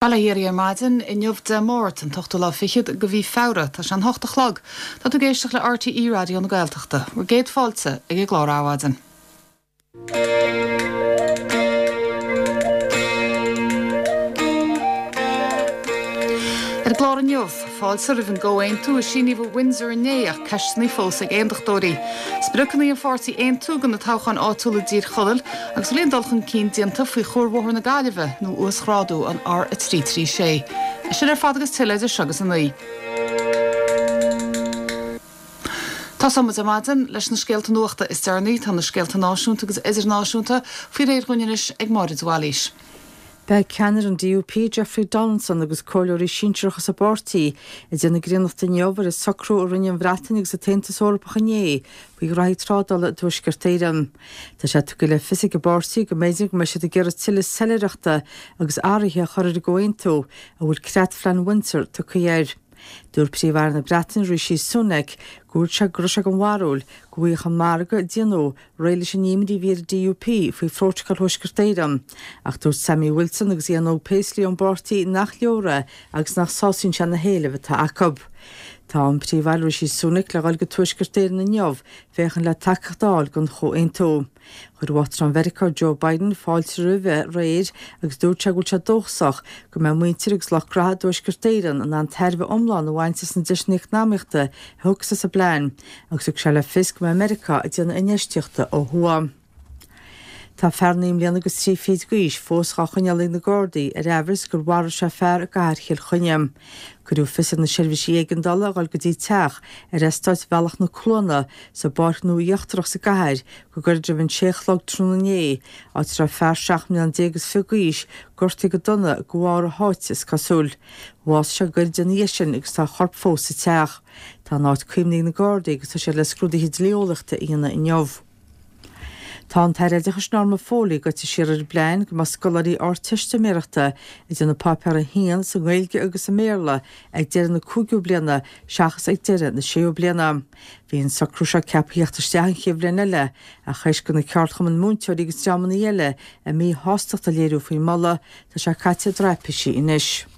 Bail ó Dhia oraibh ar maidin, inniu Dé Máirt, an t-ochtú lá fichead de mhí Feabhra. Tá sé an hocht a chlog. Tá tú ag éisteacht le RTÉ Raidió na Gaeltachta. Bhur gcéad fáilte ag an gclár Adhmhaidin. Ar an gclár inniu, fáilte roimh an gcomhaontú a síníodh i Windsor inné ach ceisteanna fós ag aontachtóirí. Spriocanna an pháirtí Aontú do na toghcháin áitiúla i dTír Chonaill Agus bhfuil aon dul chun cinn déanta faoi Chuarbhóthar na Gaillimhe nó uasghrádú an R336? É sin ar fad agus tuilleadh idir seo agus a 9. Tosóidh muid ar maidin leis na scéalta nuachta is deireanaí. Tá na scéalta náisiúnta agus idirnáisiúnta faoi réir dhúinn anois ag Máire de Bhailís. Beidh ceannaire an DUP, Jeffrey Donaldson agus comhairleoirí sinsearacha sa bpáirtí ag déanamh griannachta inniu ar an socrú a rinne an Bhreatain agus an tAontas Eorpach inné faoi ghraithí trádála i dTuaisceart Éireann. Tá sé tugtha le fios ag an bpáirtí go mb'fhéidir go mbeidh siad ag iarraidh tuilleadh soiléireachta agus athruithe a chur ar an gcomhaontú a bhfuil Creatphlean Windsor tugtha air. Dúirt Príomh-Aire na Breataine Rishi Sunak go bhfuil sé go raibh sé den bharúil go bhfaigheadh an margadh a déanadh réidh leis an imní a bhí ar an DUP faoi Phrótacal Thuaisceart Éireann. Ach dúirt Sammy Wilson agus Ian Óg Paisley ón bpáirtí nach leor é agus nach sásaíonn sé na héilimh atá acu. Tá an Príomh-Aire Rishi Sunak le dhul go Tuaisceart Éireann inniu féachaint le tacaíocht a fháil don chomhaontú. Chuir Uachtarán Mheiriceá Joe Biden fáilte roimhe aréir agus dúirt sé go bhfuil sé dóchasach go mbeidh muintir agus lucht graithe i dTuaisceart Éireann in ann tairbhe iomlán a bhaint as na deiseanna eacnamaíochta a thiocfas as an bplean agus thug sé le fios go mbeidh Meiriceá ag déanamh infheistíochta ó thuaidh. Tá fear 9 mbliana agus 3 fichid d'aois fós dhá choinneáil ag na Gardaí ar aimhreas gur mharaigh sé fear i gcathair Chill Chainnigh. Cuireadh fios ar na seirbhísí éigeandála a dhul go dtí teach ar eastát Bhealach na Cluana sa bPáirc Nua Íochtarach sa gcathair go gairid roimh an sé a chlog tráthnóna inné, áit a raibh fear 17 mbliana is 20 d'aois gortaithe go dona de bharr a sháite is cosúil. Bhásaigh sé gairid ina dhiaidh sin agus tá a chorp fós sa teach. Tá an áit caomhnaithe ag na Gardaí agus tá siad le scrúduithe dlí-eolaíochta a dhéanamh inniu. Tá an tAire Oideachais Norma Foley gaibhte siar ar an bplean go mbeadh scoláirí Ardteistiméireachta ag déanamh Páipéar 1 sa nGaeilge agus i mBéarla ag deireadh na cúigiú bliana seachas ag deireadh na séú bliana. Bhí an socrú seo ceaptha theacht isteach an chéad bhliain eile ach théis do na ceardchumainn múinteoirí agus dreamanna eile a míshástacht a léiriú faoin moladh, tá sé caite i dtraipisí anois.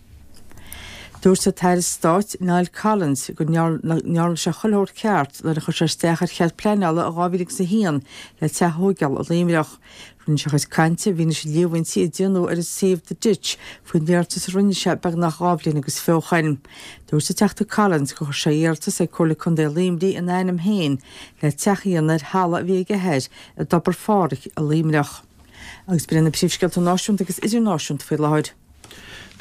Dúirt an tAire Stáit Niall Collins go ndearna sé chuile shórt ceart nuair a chuir sé isteach ar chead pleanála i 2001 le teach a thóigeáil i Luimneach. Rinne sé a chuid cainte i bhfianaise líomhaintí a déanadh ar an suíomh The Ditch faoin iarratas a rinne sé beagnach 2 bhliain agus fiche ó shoin. Dúirt an Teachta Collins gur chuir sé iarratas ag Comhairle Contae Luimnigh ina ainm féin le teach a dhéanamh ar thalamh a bhí ag a athair i dTobar Phádraig i Luimneach. Agus b'in iad na príomhscéalta náisiúnta agus idirnáisiúnta faoi láthair.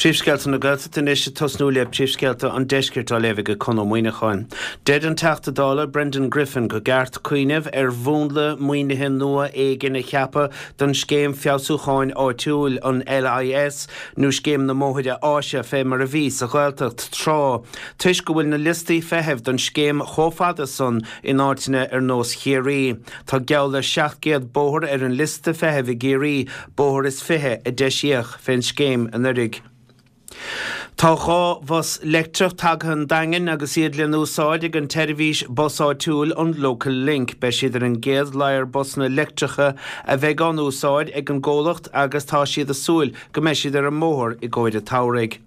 Príomhscéalta na Gaeltachta anois ag tosnú le príomhscéalta an Deiscirt á léamh ag Conn Ó Muíneacháin. Deir an Teachta Dála Brendan Griffin go gceart cuimhneamh ar mhúnla maoinithe nua éigin a cheapadh don Scéim Feabhsúcháin Áitiúil, an LIS, nó Scéim na mBóithre Áise fé mar a bhí sa Ghaeltacht tráth, toisc go bhfuil na liostaí feithimh don scéim chomh fada san in áiteanna ar nós Chiarraí. Tá geall le 700 bóthar ar an liosta feithimh i gCiarraí, bóthar is 20 a deisíodh fén scéim anuiridh. Tá 2 bhus leictreach tagtha 'on Daingean agus iad le n-úsáid ag an tseirbhís bus áitiúil an Local Link. Beidh siad ar an gcéad ladhar busanna leictreacha a bheidh á n-úsáid ag an gcomhlacht agus tá siad ag súil go mbeidh siad ar an mbóthar i gcomhair an tsamhraidh.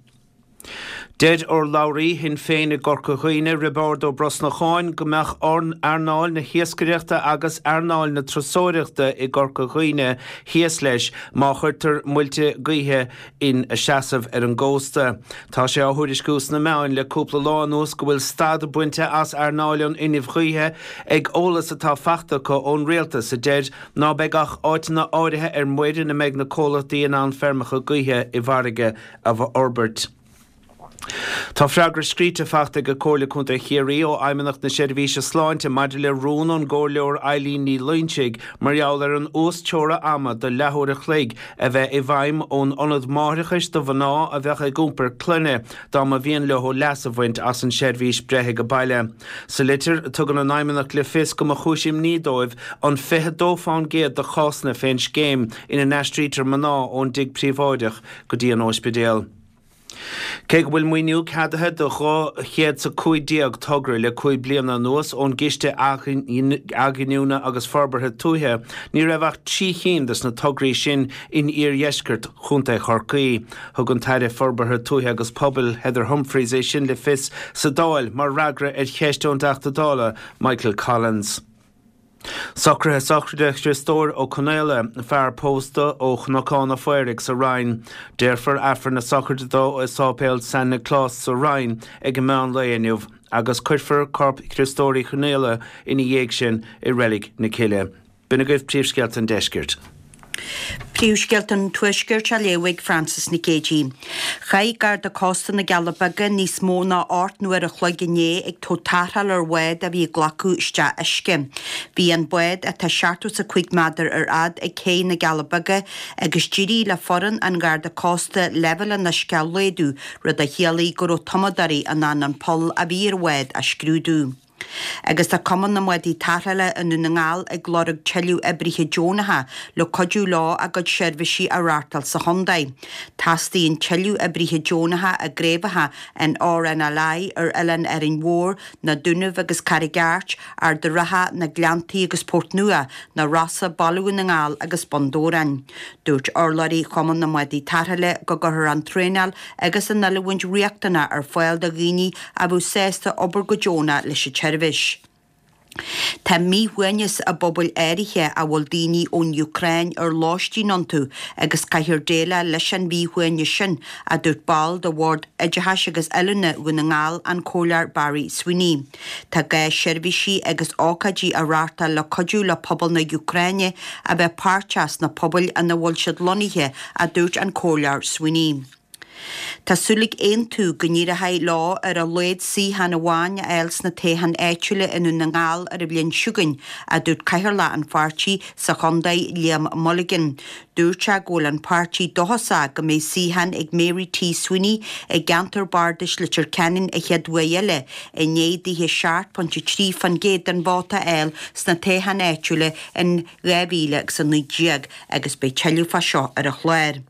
Deir urlabhraí Shinn Féin i gCorca Dhuibhne, Roibeárd Ó Brosnacháin, go mbeadh earnáil na hiascaireachta agus earnáil na turasóireachta i gCorca Dhuibhne thíos leis má chuirtear muilte gaoithe ina seasamh ar an gcósta. Tá sé á thuairisciú sna meáin le cúpla lá anuas go bhfuil stad bainte as earnáil an fhuinnimh ghaoithe ag eolas atá fachta acu ón rialtas a deir ná beidh ach áiteanna áirithe ar muir ina mbeidh na comhlachtaí in ann feirmeacha gaoithe i bhfarraige a fhorbairt. Tá freagra scríte fachta ag Comhairle Contae Chiarraí ó Fheidhmeannacht na Seirbhíse Sláinte maidir le rún ón gComhairleoir Eileen Ní Loingsigh mar gheall ar an uas-teora ama de leathuair a chloig a bheith i bhfeidhm ón Ionad Máithreachais do mhná a bheadh ag iompar clainne dá mba mhian leo leas a bhaint as an seirbhís breith ag baile. Sa litir, tugann an Fheidhmeannacht le fios go mba chúis imní dóibh an 22 fán gcéad de chásanna fén scéim ina n-aistrítear mná ón dtigh príobháideach go dtí an óispidéal. Cé go bhfuil maoiniú ceadaithe do 215 togra le 5 bliana anuas ón gCiste Athghiniúna agus Forbartha Tuaithe, ní raibh ach 3 chinn de na tograí sin in iardheisceart Chontae Chorcaí. Thug an tAire Forbartha Tuaithe agus Pobail, Heather Humphreys, é sin le fios sa Dáil mar fhreagra ar cheist ón dTeachta Dála Michael Collins. Socruithe sochraide Chriostóir Ó Conaola, fear pósta ó Chnocán a' Phaoraigh sa Rinn. Déarfar Aifreann na sochraide dó i Sáipéal San Nioclás sa Rinn ag an meán lae inniu agus cuirfear corp Chriostóir Uí Chonaola ina dhiaidh sin i Reilig na Cille. B'in agaibh príomhscéalta an deiscirt. Príomhscéalta an Tuaiscirt á léamh ag Frances Nic Géadaigh. Chaith Garda Cósta na gCealla Beaga níos mó ná 8 n-uair a chloig inné ag tabhairt tarrtháil ar bhád a bhí ag glacadh isteach uisce. Bhí an bád, atá 75 méadar ar fhad, ag cé na gCealla Beaga agus d'éirigh le foireann an Gharda Cósta leibhéal an uisce a laghdú, rud a chiallaigh go raibh tumadóirí in ann an poll a bhí ar an bhád a scrúdú. Agus tá Cumann na mBádaí Tarrthála i nDún na nGall ag lorg tuilleadh oibrithe deonacha le cuidiú leo a gcuid seirbhísí a reáchtáil sa chontae. Teastaíonn tuilleadh oibrithe deonacha i gcraobhacha an RNLI ar Oileán Árainn Mhór, na Dúnaibh agus Carraig Airt, Ard a' Rátha, na Gleanntaí agus Port Nua, na Rosa, Baile Dhún na nGall agus Bun Dobhráin. Dúirt urlabhraí Chumann na mBádaí Tarrthála go gcuirfear an traenáil agus an oiliúint riachtanach ar fáil do dhaoine a bheadh sásta obair go deonach leis an tseirbhís. Tá míshuaimhneas i bpobail áirithe a bhfuil daoine ón Úcráin ar lóistín iontu agus caithfear déileáil leis an mhíshuaimhneas sin, a dúirt ball de Bhord Oideachais agus Oiliúna Dhún na nGall, an Comhairleoir Barry Sweeney. Tá gá seirbhísí agus ócáidí a reáchtáil le cuidiú le pobal na hÚcráine a bheith páirteach sna pobail ina bhfuil siad lonnaithe, a dúirt an Comhairleoir Sweeney. Tá súil ag Aontú go n-éireoidh leo ar a laghad suíochán amháin a fháil sna toghcháin áitiúla i nDún na nGall ar an bhliain seo chugainn, a dúirt cathaoirleach an pháirtí sa chontae, Liam Mulligan. Dúirt sé go bhfuil an páirtí dóchasach go mbeidh suíochán ag Mary T Sweeney i gceantar bardais Leitir Ceanainn an chéad uair eile, i ndiaidh dithe 7.3% den vóta a fháil sna toghcháin áitiúla in 2019 agus beidh tuilleadh fá seo ar an chlár.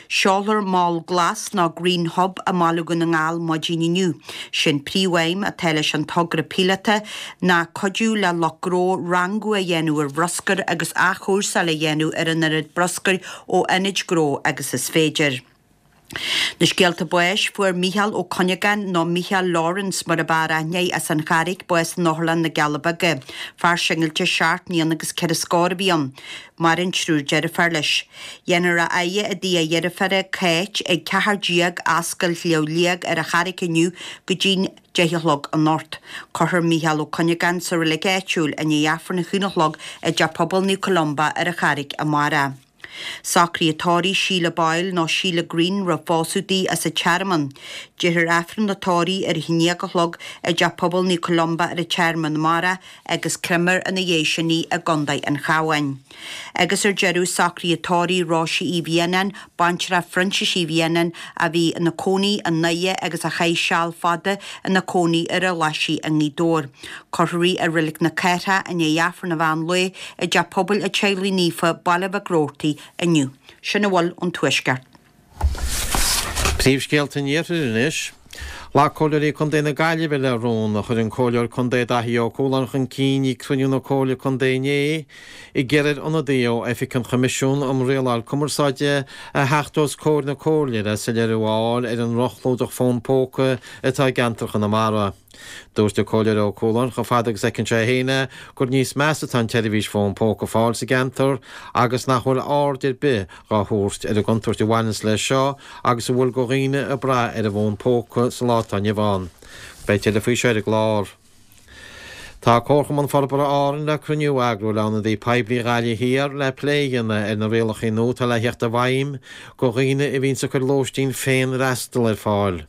Seolfar Mol Glas nó Green Hub i mBaile Dhún na nGall maidin inniu. Sé'n príomhaidhm atá leis an togra píolóta ná cuidiú le lucht gnó rangú a dhéanamh ar bhruscar agus athchúrsáil a dhéanamh ar an oiread bruscair ó ionaid gnó agus is féidir. Na scéalta báis, Fuair Mícheál Ó Cuinneagáin, nó Mícheál Lawrence mar ab fhearr aithne air, as an Charraic, bás in Otharlann na gCealla Beaga. Fear singilte seacht mbliana agus ceithre scór a bhí ann. Maireann triúr deirféar leis. Dhéanfar a fhaire i dtigh a dheirféara, Cáit, ag 14 Ascaill Shliabh Liag ar an Charraic inniu go dtí'n 10 a chlog anocht. Cuirfear Mícheál Ó Cuinneagáin sa reilig áitiúil i ndiaidh Aifreann a haon a chlog i dTeach Pobail Naomh Columba ar an Charraic amárach. Socruithe tórraimh Sheila Boyle nó Sheila Green roimh phósadh di as an Tearmann. Déarfar Aifreann an tórraimh ar a haon déag a chlog i dTeach Pobail Naomh Columba ar an Tearmann amárach agus créamfar ina dhiaidh sin í i gContae an Chabháin. Agus ar deireadh, socruithe tórraimh Róise Uí Mhianáin, baintreach Phroinsiais Uí Mhianáin, a bhí ina cónaí i nDoire agus a chaith seal fada ina cónaí ar an Ghlaisigh i nGaoth Dobhair. Cuirfear í i Reilig na Cathrach i ndiaidh Aifreann an mheán lae i dTeach Pobail an Teaghlaigh Naofa, Baile Mhic Roarty, inniu. Sin a bhfuil ón Tuaisceart. Príomhscéalta an Iarthair anois. Ghlac Comhairleoirí Contae na Gaillimhe le rún a chuir an Comhairleoir Contae Daithí Ó Cualáin chun cinn ag cruinniú na Comhairle Contae inné, ag iarraidh ar ionadaí ó Oifig an Choimisiúin um Rialáil Cumarsáide a theacht os comhair na Comhairle le soiléiriú a fháil ar an ndroch-chlúdach fón póca atá i gceantar Chonamara. Dúirt an Comhairleoir Ó Cualáin chomh fada agus a fheiceann sé féin é gur níos measa atá an tseirbhís fón póca ar fáil sa gceantar agus nach bhfuil aird ar bith dhá thabhairt ar an gcontúirt a bhaineanns leis seo agus a bhfuil go dhaoine ag brath ar an bhfón póca sa lá atá inniu ann. Beidh tuilleadh faoi seo ar an gclár. Tá Comharchumann Forbartha Árann le cruinniú a eagrú le ionadaí poiblí Ghaillimh Thiar le plé a dhéanamh ar na rialacha nua atá le theacht i bhfeidhm go dhaoine a bhíonns ag cur lóistín féin-fhreastal ar fáil.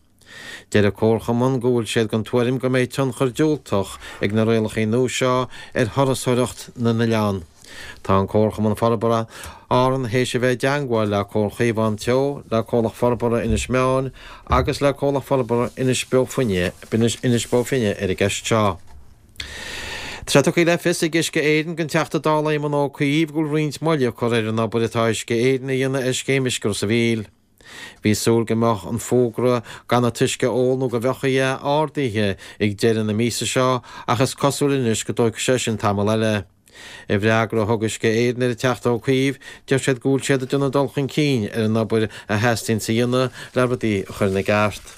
Deir an Comharchumann go bhfuil siad den tuairim go mbeidh tionchar diúltach ag na rialacha nua seo ar thurasóireacht na n-oileán. Tá an Comharchumann Forbartha Árann théis a bheith i dteangmháil le Comhar Chaomhán Teo, le Comhlacht Forbartha Inis Meáin agus le Comhlacht Forbartha Inis Bó Finne, Inis Bó Finne ar an gceist seo. Tá sé tugtha le fios ag Uisce Éireann don Teachta Dála Éamon Ó Cuív go bhfuil roinnt moille curtha ar an obair atá Uisce Éireann a dhéanamh ar Scéim Uisce Ros a' Mhíl. Bhí súil go mbeadh an fógra gan an t-uisce a ól nó go bhfiuchfaí é ardaithe ag deireadh na míosa seo ach is cosúil anois go dtógfaidh sé sin tamall eile. I bhfreagra a thug Uisce Éireann ar an Teachta Ó Cuív, deir siad go bhfuil siad ag déanamh dul chun cinn ar an obair a theastaíonns a dhéanamh le rudaí a chur ina gceart.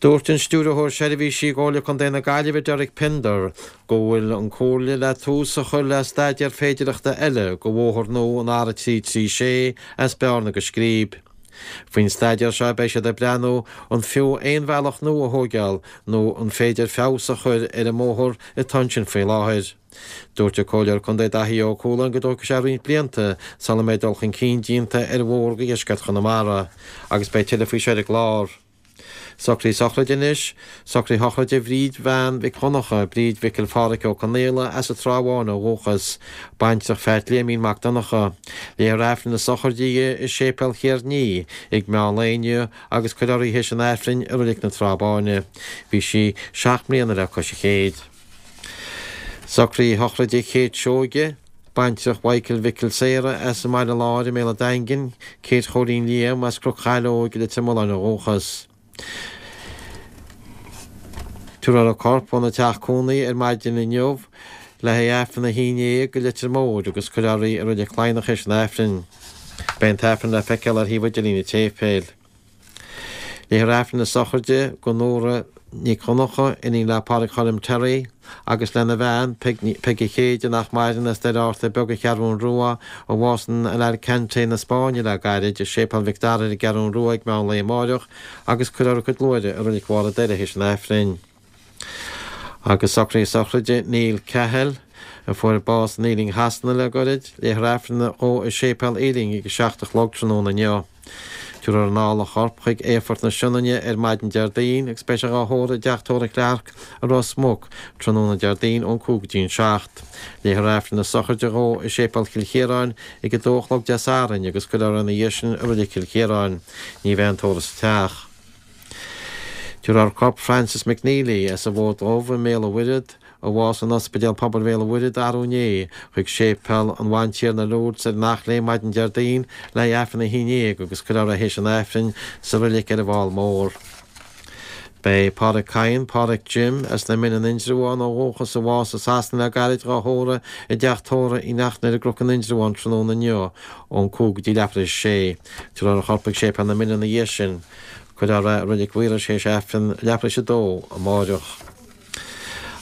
Dúirt an Stiúrthóir Seirbhísí i gComhairle Contae na Gaillimhe Derek Pender go bhfuil an Comhairle le tús a chur le staidéar féidearthachta eile go bhóthar nua an R336 as Bearna go Scríb. Faoin staidéar seo beidh siad ag breathnú an fiú aon bhealach nua a thóigeáil nó an féidir feabhas a chur ar an mbóthar atá ansin faoi láthair. Dúirt an Comhairleoir Contae Daithí Ó Cualáin go dtógfaidh sé roinnt blianta sula mbeidh dul chun cinn déanta ar bhóthar go dheisceart Chonamara agus beidh tuilleadh faoi seo ar an gclár. Socruithe sochraide anois, Socruithe sochraide Bhríd Bhean Mhic Dhonncha, Bríd Mhicil Phádhraic Ó Conaola as an Trá Bháin ó dhúchas, baintreach Pheait Liaimín Mac Donncha. Léifear Aifreann na sochraide di i Séipéal Chiarnaí ag meán lae inniu agus cuirfear í théis an Aifrinn i Reilig na Trá Báine. Bhí sí 7 mbliana le cois an chéid. Socruithe sochraide Kate Seoige, baintreach Mhichael Mhicil Sarah as an mBaile Láir i mBéal an Daingin, Kate Chóilín Liam as Cnoc Chaileoig i Leitir Mealláin ó dhúchas. Tabharfar a corp óna teach cónaí ar maidin inniu le haghaidh Aifreann a haon déag go Leitir Móir agus cuirfear í i Reilig Laighneach théis an Aifrinn. Beidh an tAifreann le feiceáil ar shuíomh idirlín an tséipéil. Léifear Aifreann na sochraide do Nóra Nic Dhonncha, iníon le Pádraig Choilm Terry, agus lena bhean, Peige Chéide, nach maireann, as Doire Fhatharta Beag an Cheathrún Rua, a bhásaigh in Alicante na Spáinne le gairid, i Séipéal Mhic Dara ar an gCeathrún Rua ag meán lae amáireach agus cuirfear a cuid luaithre i Reilig Bharr an Doire théis an Aifrinn. Agus socruithe sochraide Neil Cahill, a fuair bás in Ealing Shasana le goirid, léifear Aifreann dhó i Séipéal Ealing ag 7 a chlog tráthnóna inniu. Tabharfar anall a chorp chuig Aerfort na Sionainne ar maidin Déardaoin agus beidh sé dhá thórramh i dteach tórraimh Clarke i Ros Muc tráthnóna Déardaoin ón 5 go dtí an 7. Léifear Aifreann na sochraide dhó i Séipéal Chill Chiaráin ag 2 a chlog Dé Sathairn agus cuirfear ina dhiaidh sin i Reilig Chill Chiaráin. Ní bheidh aon tórramh sa teach. Tabharfar corp Francis McNeely as an bhFód Dubh i mBéal an Mhuirthead, a bhásaigh in Ospidéal Pobail Bhéal an Mhuirthead arú inné, chuig Séipéal an Bhantiarna Lourdes ar an Eachléim maidin Déardaoin le haghaidh Aifreann a haon déag agus cuirfear é théis an Aifrinn sa reilig ar an bhFál Mór. Beidh Pádraig Kyne, Pádraig Jim, as na Mine in Indreabhán ó dhúchas a bhásaigh i Sasana le gairid dhá thórramh i dteach tórraimh Uí Neachtain ar an gCnoc in Indreabhán tráthnóna inniu ón 5 go dtí leathuair théis a sé. Tabharfar a chorp chuig Séipéal na Mine ina dhiaidh sin. Cuirfear é i Reilig Mhaorais théis Aifreann leathuair théis a dó amáireach.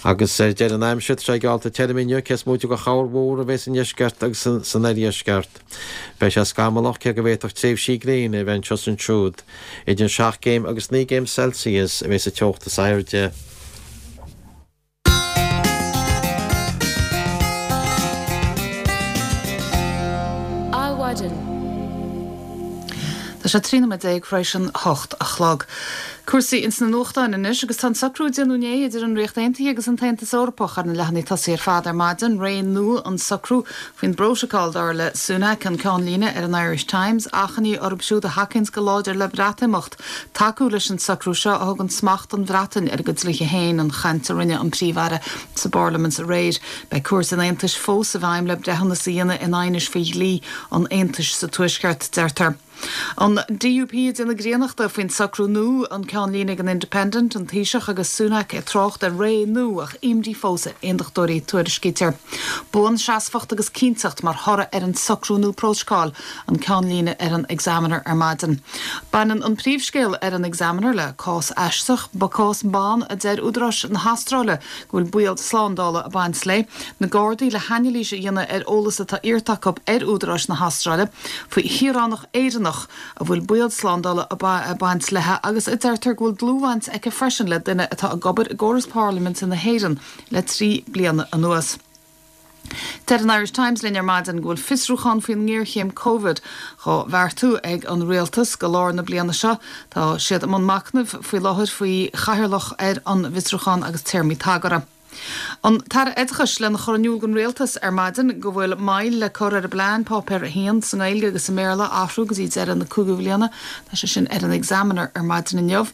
Agus ar deireadh an aimsir, tá sé geallta tirime inniu, cé is móite de chorrmhúr a bheas i ndeisceart agus san oirdheisceart. Beidh sé scamallach, cé go bhféadfadh tréimhsí gréine a bheith anseo is ansiúd. Idir 7 gcéim agus 9 gcéim Celsius a bheas an teocht is airde. Adhmhaidin. Tá sé 13 nóiméad tar éis an 8 a chlog. Cúrsaí ins na nuachtáin anois agus tá an socrú a déanadh inné idir an Ríocht Aontaithe agus an tAontas Eorpach ar na leathanaigh tosaigh ar fad ar maidin. Ré nua an socrú faoin bprótacal, dar le Sunak, an ceannlíne ar an Irish Times. Achainí orthu siúd a thacaíonns go láidir le Breatimeacht tacú leis an socrú seo a thugann smacht don Bhreatain ar a gcuid dlíthe féin, an chaint a rinne an Príomh-Aire sa bParlaimint aréir. Beidh Cúirt an Aontais fós i bhfeidhm le breithiúnas a dhéanamh in aighnis faoi dhlí an Aontais sa Tuaisceart, deirtear. An DUP ag déanamh griannachta faoin socrú nua, an ceannlíne ag an Independent, an Taoiseach agus Sunak ag trácht ar ré nua ach imní fós ar aondachtóirí, tuairiscítear. Buanseasmhacht agus cinnteacht mar thoradh ar an socrú nua prótacail, an ceannlíne ar an Examiner ar maidin. Baineann an príomhscéal ar an Examiner le cás aisteach, cás ban a deir údaráis na hAstráile go bhfuil baol slándála ag baint léi. Na Gardaí le hanailís a dhéanamh ar eolas atá iarrta acu ar údaráis na hAstráile faoi shaoránach Éireannach a bhfuil baol slándála ag baint léi agus a deirtear go bhfuil dlúthbhaint aici freisin le duine atá ag obair i gcóras parlaiminte na hÉireann le 3 bliana anuas. Deir an Irish Times linn ar maidin go bhfuil fiosrúchán faoin ngéarchéim Covid dhá bheartú ag an Rialtas go lár na bliana seo. Tá siad i mbun machnaimh faoi láthair faoi chathaoirleach ar an bhfiosrúchán agus téarmaí tagartha. An tAire Oideachais lena chur in iúl don Rialtas ar maidin go bhfuil moill le cur ar an bplean Páipéar 1 sa nGaeilge agus sa mBéarla a athrú go dtí deireadh na cúigiú bhliana. Tá sé sin ar an Examiner ar maidin inniu.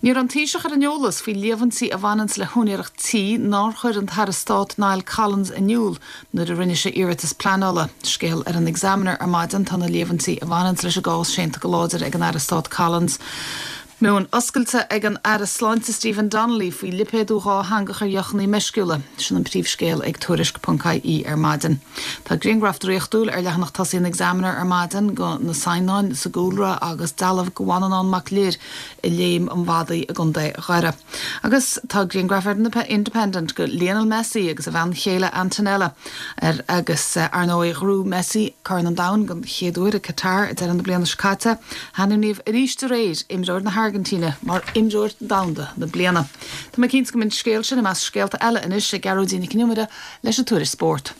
Ní raibh an Taoiseach ar an eolas faoi líomhaintí a bhaineanns le húinéireacht tí nár chuir an tAire Stáit Niall Collins in iúl nuair a rinne sé iarratas pleanála. Scéal ar an Examiner ar maidin, tá na líomhaintí a bhaineanns leis an gcás séanta go láidir ag an Aire Stáit Collins. Meon oscailte ag an Aire Sláinte Stephen Donnelly faoi lipéadú dhátheangach ar dheochanna meisciúla. Sin an príomhscéal ag Tuairisc.ie ar maidin. Tá grianghraf draíochtúil ar leathanach tosaigh an Examiner ar maidin, go na Saighneáin sa gcúlra agus dealbh go Mhanannán Mac Lir i Léim an Mhadaidh i gContae Dhoire. Agus tá grianghraf ar an Independent go Lionel Messi agus a bhean chéile Antonella air agus ar ndóigh ghnóthaigh Messi Corn an Domhain den chéad uair i Qatar ag deireadh na bliana seo caite. Hainmníodh arís aréir imreoir na hAirgintíne mar Imreoir Domhanda na Bliana. Tá mé cinnte go mbeidh an scéal sin i measc scéalta eile anois ag Gearóidín Nic Con Iomaire leis an Tuairisc Spóirt.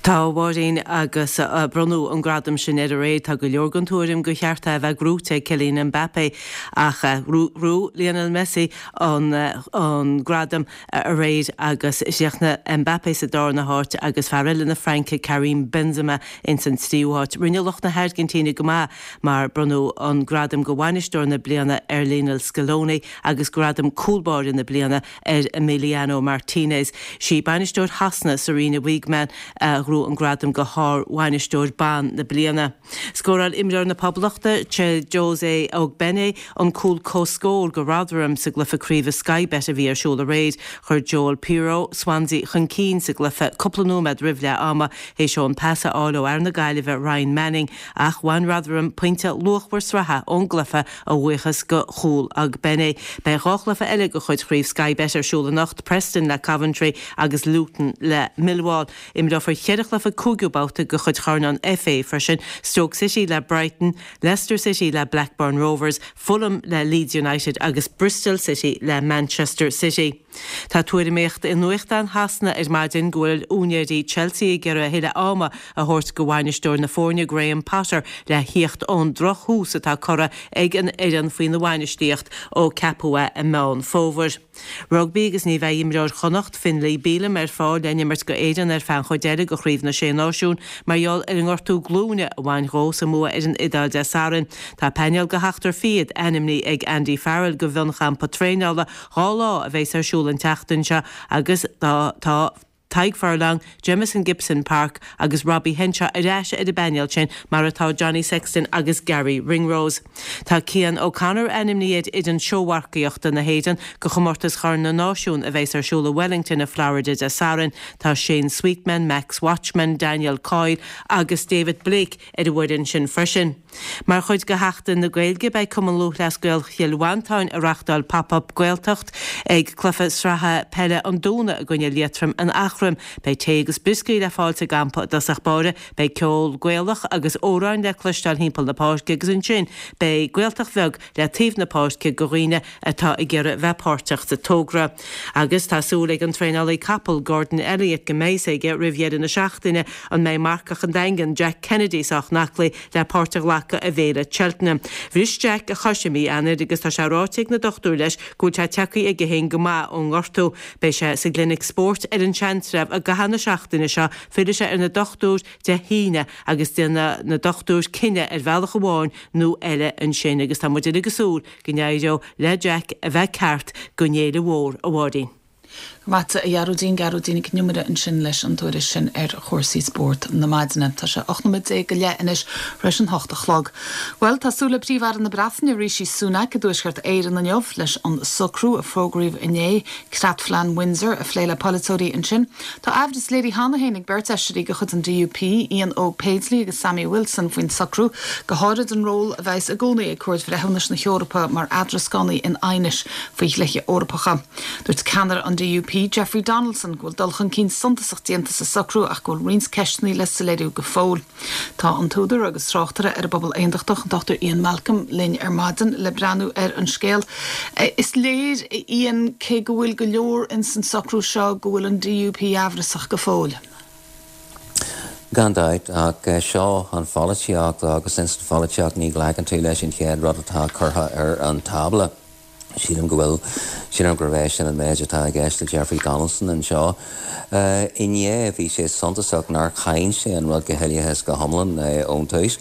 Tá, a Mháirín, agus bronnadh an gradam sin air aréir. Tá go leor den tuairim gur cheart é a bheith gnóite ag Kylian Mbappé ach ghnóthaigh Lionel Messi an gradam aréir agus chríochnaigh Mbappé sa darna háit agus fear eile na Fraince, Karim Benzema, ins an tríú háit. Rinne lucht na hAirgintíne go maith mar bronnadh an gradam go Bhainisteoir na Bliana ar Lionel Scaloni agus gradam Cúl Báire na Bliana ar Emiliano Martinez. Sí bainisteoir Shasana, Sarina Wiegman, a ghnóthaigh an gradam go Shár-Bhainisteoir Ban na Bliana. Scóráil imreoir na Poblachta, Chiedozie Ogbene, an cúl comhscóir go Rotherham sa gcluiche craoibhe Sky Bet a bhí ar siúl aréir. Chuir Joel Piroe Swansea chun cinn sa gcluiche cúpla nóiméad roimh leath ama théis dó an pas a fháil ó fhear na Gaillimhe Ryan Manning ach bhain Rotherham pointe luachmhar sraithe ón gcluiche a bhuíochas go chúl Ogbene. Beidh 2 chluiche eile de chuid Chraobh Sky Bet ar siúl anocht, Preston le Coventry agus Luton le Millwall. Imreofar cheithre chluiche cúigiú babhta de chuid Chorn an FA freisin, Stoke City le Brighton, Leicester City le Blackburn Rovers, Fulham le Leeds United agus Bristol City le Manchester City. Tá tuairimíocht i nuachtáin Shasana ar maidin go bhfuil úinéirí Chelsea ag iarraidh a thuilleadh ama a thabhairt go bhainisteoir na foirne Graham Potter le thíocht ón drochthús atá curtha ag an fhoireann faoina bhainistíocht ó ceapadh é i Meán Fómhair. Rugbaí agus ní bheidh imreoir Chonnacht, Finlay Bealham ar fáil le n-imirt go Éirinn ar feadh an chuid eile de Chraobh na Sé Náisiún mar gheall ar an ngortú glúine a bhain dhó sa mbua ar an Iodáil Dé Sathairn. Tá painéal de sheachtar fichead ainmnithe ag Andy Farrell go mhionchampa traenála 2 lá a bheas ar siúl an tseachtain seo agus tá Tadhg Furlong, Jamison Gibson-Park agus Robbie Henshaw ar ais ar an bpainéal sin mar atá Johnny Sexton agus Garry Ringrose. Tá Cian O'Connor ainmnithe ar fhoireann seómharcaíochta na hÉireann go chomórtas Chorn na Náisiún a bheas ar siúl i Wellington i Florida Dé Sathairn. Tá Shane Sweetman, Max Watchman, Daniel Coyle agus David Blake ar an bhfoireann sin freisin. Mar chuid de Sheachtain na Gaeilge, beidh Cumann Lúthchleas Gael Chill Mhantáin ag reachtáil Pop Up Gaeltacht ag cluiche sraithe peile an Dúna i gcoinne Liatroim in Eachroim. Beidh tae agus brioscaí le fáil sa gcampa i dtosach báire, beidh ceol Gaelach agus amhráin le cloisteáil thimpeall na páirce agus ansin beidh Gaeltacht bheag le taobh na páirce go dhaoine atá ag iarraidh bheith páirteach sa togra. Agus tá súil ag an traenálaí capall Gordon Elliott go mbeidh fhios aige roimh dheireadh na seachtaine an mbeidh marcach an Daingin, Jack Kennedy sách aclaí le páirt a ghlacadh i bhféile Cheltenham. Bhris Jack a chois i mí Eanáir agus tá sé ráite ag na dochtúirí leis go bhfuil sé tagtha aige féin go maith ón ngortú. Beidh sé sa gclinic spóirt ar an Seantrabh i gcaitheamh na seachtaine seo, fillfidh sé ar na dochtúir Dé hAoine agus déanfaidh na dochtúir cinneadh ar bhealach amháin nó eile ansin agus tá muid uilig ag súil go n-éireoidh le Jack a bheith ceart don fhéile mhór, a Mháirín. Go raibh maith agat, a Ghearóidín, Gearóidín Nic Con Iomaire ansin leis an tuairisc sin ar chúrsaí spóirt na maidine. Tá sé 18 nóiméad go leith anois tar éis an hocht a chlog. Bhuel, tá súil le Príomh-Aire na Breataine, Rishi Sunak, i dTuaisceart Éireann inniu leis an socrú a fógraíodh inné, Creatphlean Windsor, a phlé le polaiteoirí ansin. Tá aimhreas léirithe cheana féin ag beirt fheisirí de chuid an DUP, Ian Óg Paisley agus Sammy Wilson, faoin socrú, go háirid an ról a bheas i gcónaí ag Cúirt Bhreithiúnais na hEorpa mar eadrascánaí in aighnis faoi dhlíthe Eorpacha. Dúirt ceannaire an DUP, Jeffrey Donaldson, go bhfuil dul chun cinn suntasach déanta sa socrú ach go bhfuil roinnt ceisteanna le soiléiriú go fóill. Tá an t-údar agus tráchtaire ar an bpobal aontachtach, an Dr Ian Malcolm, linn ar maidin le breathnú ar an scéal. Is léir, a Ian, cé go bhfuil go leor ins an socrú seo, go bhfuil an DUP amhrasach go fóill. Gan dabht, ach seo an pholaitíocht agus ins an pholaitíocht ní ghlacann tú leis an chéad rud atá curtha ar an tábla. Sílim go bhfuil, sílim gurb é sin an méid atá i gceist le Jeffrey Donaldson anseo. Inné, bhí sé suntasach nár cháin sé an rud go huile is go hiomlán ón tús.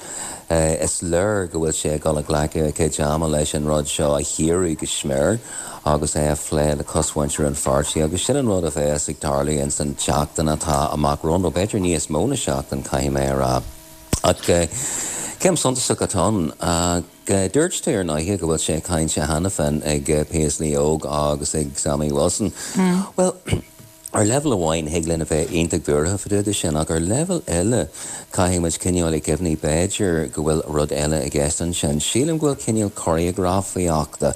Is léir go bhfuil sé ag dul ag glacadh a chuid ama leis an rud seo a chíoradh go smior agus é a phlé le cosmhuintir an pháirtí agus sin an rud a bheas ag tarlú ins an tseachtain atá amach romhainn, nó b'fhéidir níos mó na seachtain, caithfidh mé a rá. Ach céim suntasach atá ann. Dúirt tú ar ndóighe go bhfuil sé cáinte cheana féin ag Paisley Óg agus ag Sammy Wilson. Bhuel, ar leibhéal amháin thig linn a bheith iontach buartha fá dtaobh de sin ach ar leibhéal eile caithfidh muid coinneáil i gcuimhne b'fhéidir go bhfuil rud eile i gceist ansin. Sílim go bhfuil cineál choreografaíochta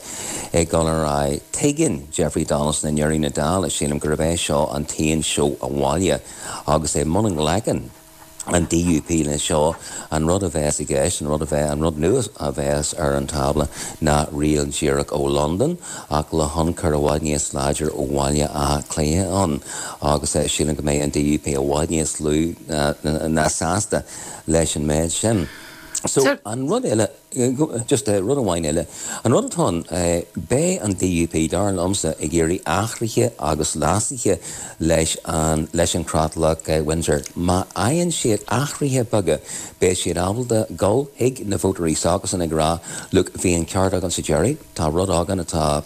ag dul ar aghaidh. Tuigeann Jeffrey Donaldson i ndeireadh na dála, sílim, gurb é seo an t-aon seó abhaile agus é muna nglacann an DUP leis seo, an rud a bheas i gceist, an rud a bheidh, an rud nua a bheas ar an tábla ná riail díreach ó Londain ach le hionchur i bhfad níos láidre ó Bhaile Átha Cliath ann agus sílim go mbeidh an DUP i bhfad níos lú ná sásta leis an méid sin. So, an rud eile. Just rud amháin eile. An rud atá ann, beidh an DUP, dar liomsa, ag iarraidh athruithe agus leasuithe leis an leis an Chreatlach Windsor. Má fhaigheann siad athruithe beaga, beidh siad ábalta dul chuig na vótóirí s'acusan ag rá, look, bhí an ceart againn sa deireadh, tá rud againn atá.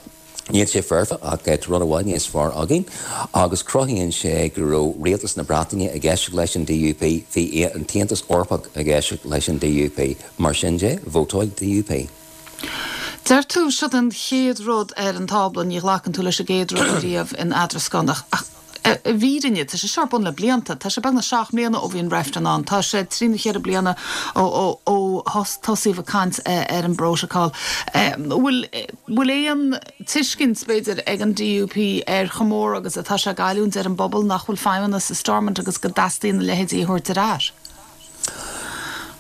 Níl sé foirfe ach tá rud i bhfad níos fearr againn agus cruthaíonn sé go raibh rialtas na Breataine ag éisteacht leis an DUP, bhí an tAontas Eorpach ag éisteacht leis an DUP. Mar sin de, vótáil DUP. Deir tú, siod an chéad rud ar an tábla, ní ghlacann tú leis an gcéad rud ariamh in eadrascán ach i bhfírinne, tá sé seo ar bun le blianta. Tá sé beagnach 7 mbliana ó bhí an reifreann ann. Tá sé trí nó cheithre bliana ó tosaíodh ag caint ar an bprótacal. Bhfuil bhfuil aon tuiscint, b'fhéidir, ag an DUP ar chomh mór agus atá sé ag goilliúint ar an bpobal nach bhfuil feidhmeannas i Stormont agus go dteastaíonn a leithéidí a thabhairt ar ais?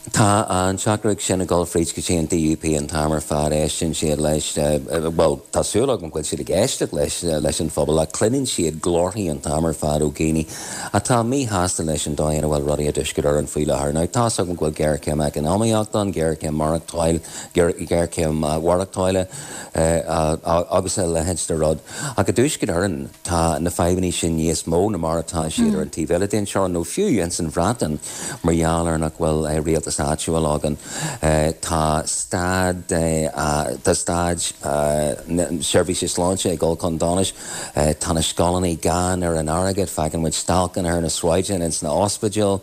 Tá an teachtaireacht sin ag dul fríd go dtí an DUP an t-am ar fad. Éisteann siad leis, bhuel, tá súil agam go bhfuil siad ag éisteacht leis, leis an phobal, ach cluineann siad glórthaí an t-am ar fad ó dhaoine atá míshásta leis an dóigh ina bhfuil rudaí i dTuaisceart Éireann faoi láthair. Now, tá's agam go bhfuil géarchéim eacnamaíochta ann, géarchéim maireachtáil, géarchéim mhaireachtála agus a leithéid de rud. Ach i dTuaisceart Éireann, tá na fadhbanna sin níos mó ná mar atá siad ar an taobh eile den teorainn, nó fiú ins an Bhreatain, mar gheall ar nach bhfuil rialtas áitiúil againn. Tá staid, tá staid na seirbhíse sláinte ag dul chun donais, tá na scoileanna gann ar an airgead, feiceann muid stailceanna ar na sráideanna ins na ospidéil.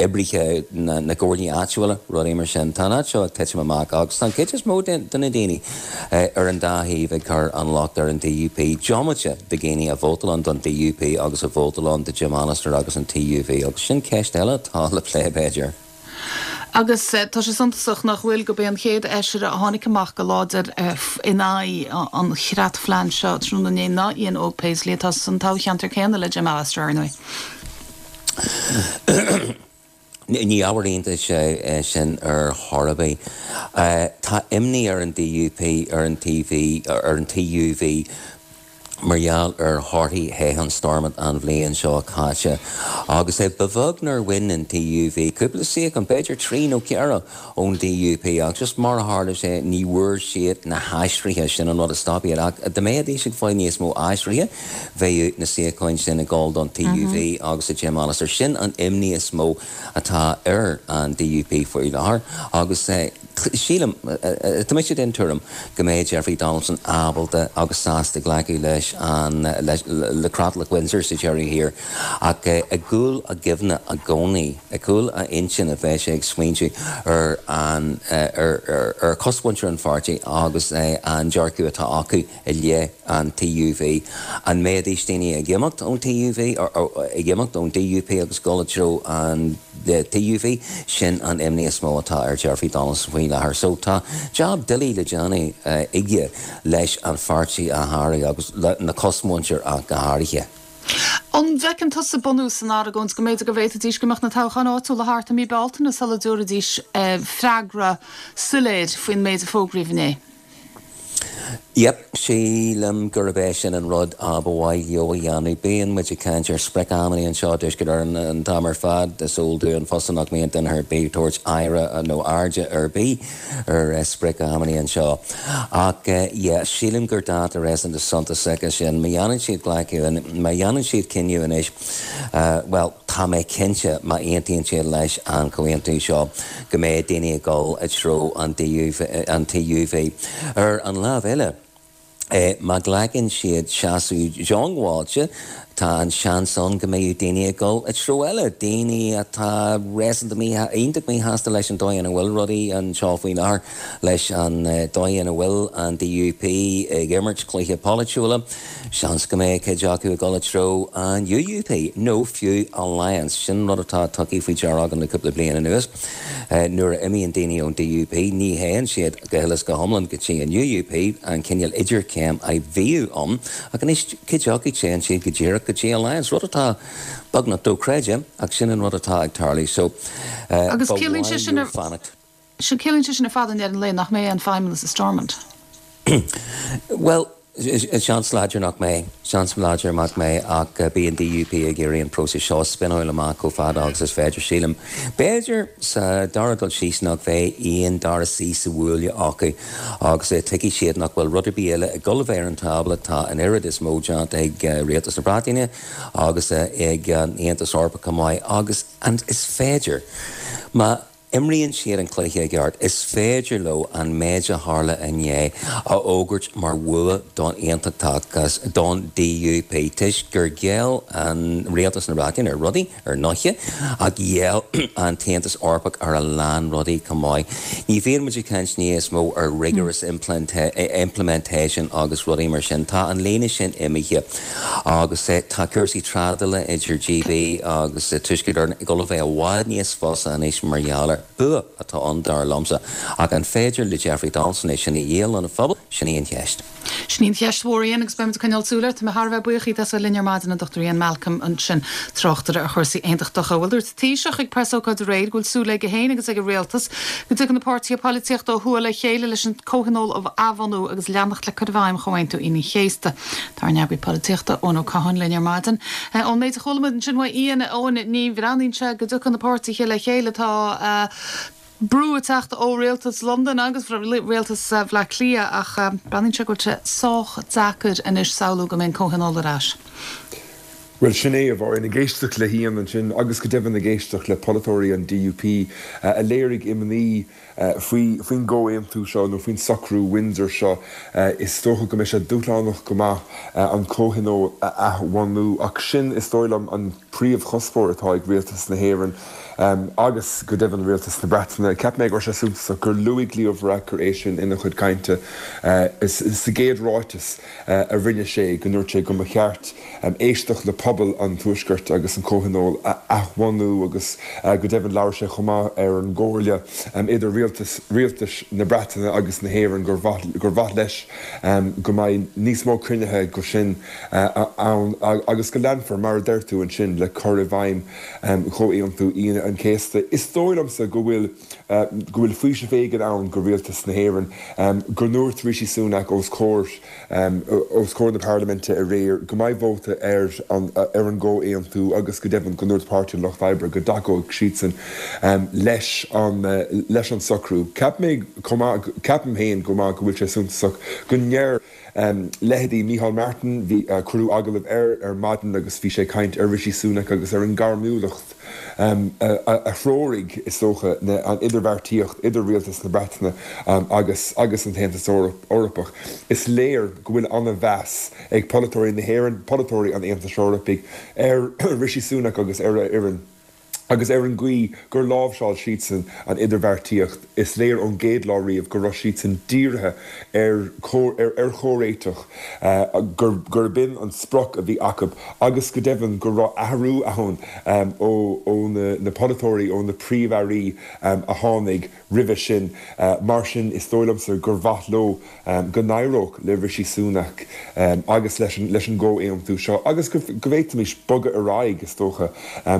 oibrithe na gcomhairlí áitiúla, rudaí mar sin. Tá an áit seo ag titim amach agus tá an chuid is mó de na daoine ar an dá thaobh ag cur an locht ar an DUP, diomaite de dhaoine a vótálann don DUP agus a vótálann do Jim Allister agus an TUV agus sin ceist eile atá le plé b'fhéidir. Agus tá sé suntasach, nach bhfuil, gurb é an chéad fheisire a tháinig amach go láidir in aghaidh an chreatphlean seo tráthnóna inné ná Ian Óg Paisley, atá san toghcheantar céanna le Jim Allister, ar ndóigh. Ní ábhar iontais é sin ar chor ar bith. Tá imní ar an DUP, ar an TV, ar an TUV, mar gheall ar thorthaí thoghchán Stormont an bhliain seo caite agus ba bheag nár bhain an TUV cúpla suíochán, b'fhéidir 3 nó 4, ón DUP ach just mar a tharla sé ní bhfuair siad na haistrithe, sin an rud a stop iad ach dá mbeidís ag fáil níos mó aistrithe bheadh na suíocháin sin ag dul don TUV agus do Jim Allister. Sin an imní is mó atá ar an DUP faoi láthair agus sílim, tá mise den tuairim go mbeidh Jeffrey Donaldson ábalta agus sásta glacadh leis an, le Creatlach Windsor sa deireadh thiar ach i gcúl a chuimhne i gcónaí, i gcúl a intinne beidh sé ag smaointiú ar an, ar chosmhuintir an pháirtí agus an dearcadh atá acu i leith an TUV. An mbeidís daoine ag imeacht ón TUV, ag imeacht ón DUP agus dul i dtreo an TUV? Sin an imní is mó atá ar Jeffrey Donaldson faoi láthair. So tá jab doiligh le déanamh aige leis an pháirtí a athrú agus na cosmhuintir ach go háirithe. An bhfeiceann tusa bunús san argóint go mb'fhéidir go bhféadfaidís go mbeadh na toghcháin áitiúla thart i mí Bealtaine sula dtabharfaidís freagra soiléir faoin méid a fógraíodh inné? Yep, sílim gurb é sin an rud a ba mhaith leo a dhéanamh. Bíonn muid ag caint ar sprioc-amanna anseo i dTuaisceart Éireann an t-am ar fad. Is eol dúinn fosta nach mbíonn duine ar bith ag tabhairt aire nó airde ar bith ar sprioc-amanna anseo. Ach yeah, sílim gur dáta réasúnta suntasach é sin. Má dhéanann siad glacadh, má dhéanann siad cinneadh anois, bhuel, tá mé cinnte má aontaíonn siad leis an chomhaontú seo go mbeidh daoine ag dul i dtreo an TUV. Ar an lámh eile, má ghlacann siad seasamh diongbháilte, tá an seans ann go mbeidh daoine ag dul i dtreo eile, daoine atá réasúnta iontach míshásta leis an dóigh ina bhfuil rudaí anseo faoi láthair, leis an dóigh ina bhfuil an DUP ag imirt cluiche polaitiúla. Seans go mbeidh cuid acu ag dul i dtreo an UUP, nó fiú Alliance. Sin rud atá tugtha faoi deara agam le cúpla bliain anuas. Nuair a imíonn daoine ón DUP, ní théann siad go huile is go hiomlán go dtí an UUP, an cineál idirchéim a bhíodh ann, ach anois cuid acu téann siad go díreach go dtí Alliance, rud atá beagnach dochreidte, ach sin an rud atá ag tarlú. So, ba mhaith leo fanacht. Sea, ciallaíonn sé sin ar fad i ndeireadh an lae nach mbeidh aon feidhmeannas i Stormont. Bhuel, seans láidir nach mbeidh. Seans láidir nach mbeidh ach beidh an DUP ag iarraidh an próiseas seo a spionáil amach chomh fada agus is féidir, sílim. B'fhéidir, sa dara dul síos, nach mbeidh aon dara suí sa bhuaile acu agus tuigfidh siad nach bhfuil rud ar bith eile ag dul a bheith ar an tábla, tá an oiread is mó déanta ag Rialtas na Breataine agus ag an Aontas Eorpach chomh maith agus is féidir, má imríonn siad an cluiche i gceart, is féidir leo an méid a tharla inné a fhógairt mar bhua don aontachtachas, don DUP, toisc gur ghéill an Rialtas na Breataine ar rudaí, ar ndóiche, ach ghéill an tAontas Eorpach ar a lán rudaí chomh maith. Ní bhíonn muid ag caint níos mó ar rigorous implementation agus rudaí mar sin. Tá an líne sin imithe. Agus tá cúrsaí trádála idir GB agus Tuaisceart Éireann ag dul a bheith i bhfad níos fusa anois mar gheall air. Bua atá ann dar liomsa. Ach an féidir le Jeffrey Donaldson é sin a dhíol lena phobal? Sin í an cheist. Sin í an cheist mhór, Ian, agus beimid ag coinneáil súil air. Tá mé thar a bheith buíoch díot as a bheith linn ar maidin, an Dr Ian Malcolm ansin, tráchtaire ar chúrsaí aontachtacha. Bhuel, dúirt an Taoiseach ag preasócáid aréir go bhfuil súil aige féin agus ag an Rialtas go dtiocfaidh na páirtithe poilitíochta ó thuaidh le chéile leis an Comhthionól a athbhunú agus leanacht le cur i bhfeidhm Chomhaontú Aoine an Chéasta. Tá ár n-eagraí polaitíochta, Eoin Ó Catháin, linn ar maidin. Ón méid a chuala muid ansin uaidh Ian, Eoin, ní bhreathnaíonn sé go dtiocfaidh na páirtithe le chéile. Tá brú ag teacht ó rialtas Londain agus rialtas Bhaile Átha Cliath ach breathnaíonn sé go bhfuil sé sách deacair anois samhlú go mbeidh an Comhthionól ar ais. Bhuel, sin é, a Mháirín, ag éisteacht le hIan ansin agus go deimhin ag éisteacht le polaiteoirí an DUP a léirigh imní faoi faoin gcomhaontú seo nó faoin socrú Windsor seo, is dócha go mbeidh sé dúshlánach go maith an Comhthionól a athbhunú. Ach sin, is dóigh liom, an príomhchuspóir atá ag Rialtas na hÉireann agus go deimhin Rialtas na Breataine. Cheap mé go raibh sé suntasach gur luaigh Leo Varadkar é sin ina chuid cainte sa gcéad ráiteas a rinne sé, go ndúirt sé go mba cheart éisteacht le pobal an Tuaiscirt agus an Comhthionól a athbhunú agus go deimhin labhair sé chomh maith ar an gcomhairle idir rialtas rialtais na Breataine agus na hÉireann gur mhaith gur mhaith leis go mbeidh níos mó cruinnithe go sin ann agus go leanfar, mar a deir tú ansin, le cur i bhfeidhm Chomhaontú Aoine an Chéasta. Is dóigh liomsa go bhfuil go bhfuil faoiseamh éigin ann go rialtas na hÉireann go ndúirt Rishi Sunak os comhair os comhair na Parlaiminte aréir go mbeidh vóta ar an ar an gcomhaontú agus go deimhin go ndúirt Páirtí an Lucht Oibre go dtacóidh siadsan leis an leis an socrú. Cheap mé chomh maith, ceapaim féin go maith go bhfuil sé suntasach go ndeir leithéidí Micheál Martin, bhí, cuireadh agallamh air ar maidin agus bhí sé ag caint ar Rishi Sunak agus ar an ngairmiúlacht a threoraigh, is dócha, an idirbheartaíocht idir rialtas na Breataine agus agus an tAontas Eorpach. Is léir go bhfuil an-mheas ag polaiteoirí na hÉireann, polaiteoirí an Aontais Eorpaigh ar Rishi Sunak agus ar a fhoireann. Agus ar an gcaoi gur láimhseáil siadsan an idirbheartaíocht, is léir ón gcéad lá riamh go raibh siadsan dírithe ar ar chomhréiteach, gurb in an sprioc a bhí acu agus go deimhin go raibh athrú ann ó na polaiteoirí, ó na príomh-airí a tháinig roimhe sin. Mar sin, is dóigh liomsa gur mhaith leo go n-éireodh le Rishi Sunak agus leis an gcomhaontú seo agus go bhféadfaimis bogadh ar aghaidh, is dócha,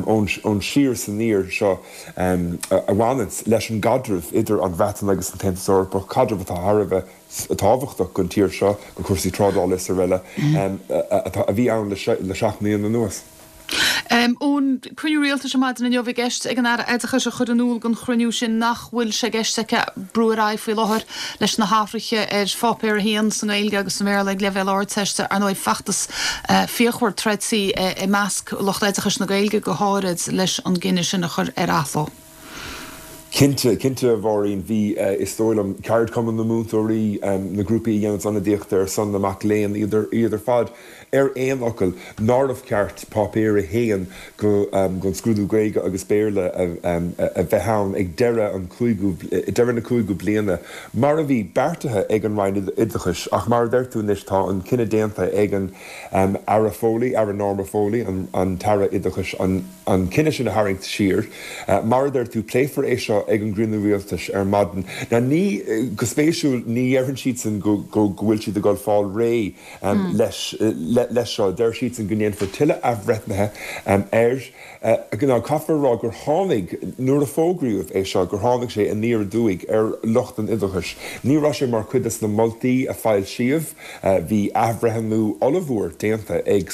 ón síor. is aniar seo a bhaineanns leis an gcaidreamh idir an Bhreatain agus an tAontas Eorpach, caidreamh atá thar a bheith tábhachtach don tír seo, do chúrsaí trádála is araile, a bhí ann le 7 mbliana anuas. Eoin, cruinniú rialtais ar maidin inniu i gceist ag an Aire Oideachais a chur in iúl don chruinniú sin nach bhfuil sé i gceist aici brú ar aghaidh faoi láthair leis na hathruithe ar Pháipéar 1 sa nGaeilge agus sa mBéarla ag leibhéal Ardteiste. Ar ndóigh, feachtas fíochmhar troidte i measc lucht oideachais na Gaeilge go háirid leis an gcinneadh sin a chur ar athló. Cinnte, cinnte, a Mháirín. Bhí, is dóigh liom, ceardchumann na múinteoirí, na grúpaí a dhéananns ionadaíocht ar son na mac léinn, iad ar fad ar aon fhocal nárbh cheart Páipéar 1 don scrúdú Gaeilge agus Béarla a bheith ann ag deireadh an chúigiú, deireadh na cúigiú bliana, mar a bhí beartaithe ag an Roinn Oideachais. Ach mar a deir tú anois, tá an cinneadh déanta ag an Aire Foley, Aire Norma Foley, an tAire Oideachais, an. an cinneadh sin a tharraingt siar. Mar a deir tú, pléifear é seo ag an gcruinniú rialtais ar maidin. Now ní, go spéisiúil, ní dheireann siadsan go bhfuil siad ag dul fáil réidh leis leis seo. Deir siadsan go ndéanfar tuilleadh athbhreithnithe air. Now caithfear a rá gur tháinig, nuair a fógraíodh é seo, gur tháinig sé aniar aduaidh ar lucht an oideachais. Ní raibh sé mar chuid des na moltaí a foilsíodh. Bhí athbhreithniú ollmhór déanta ag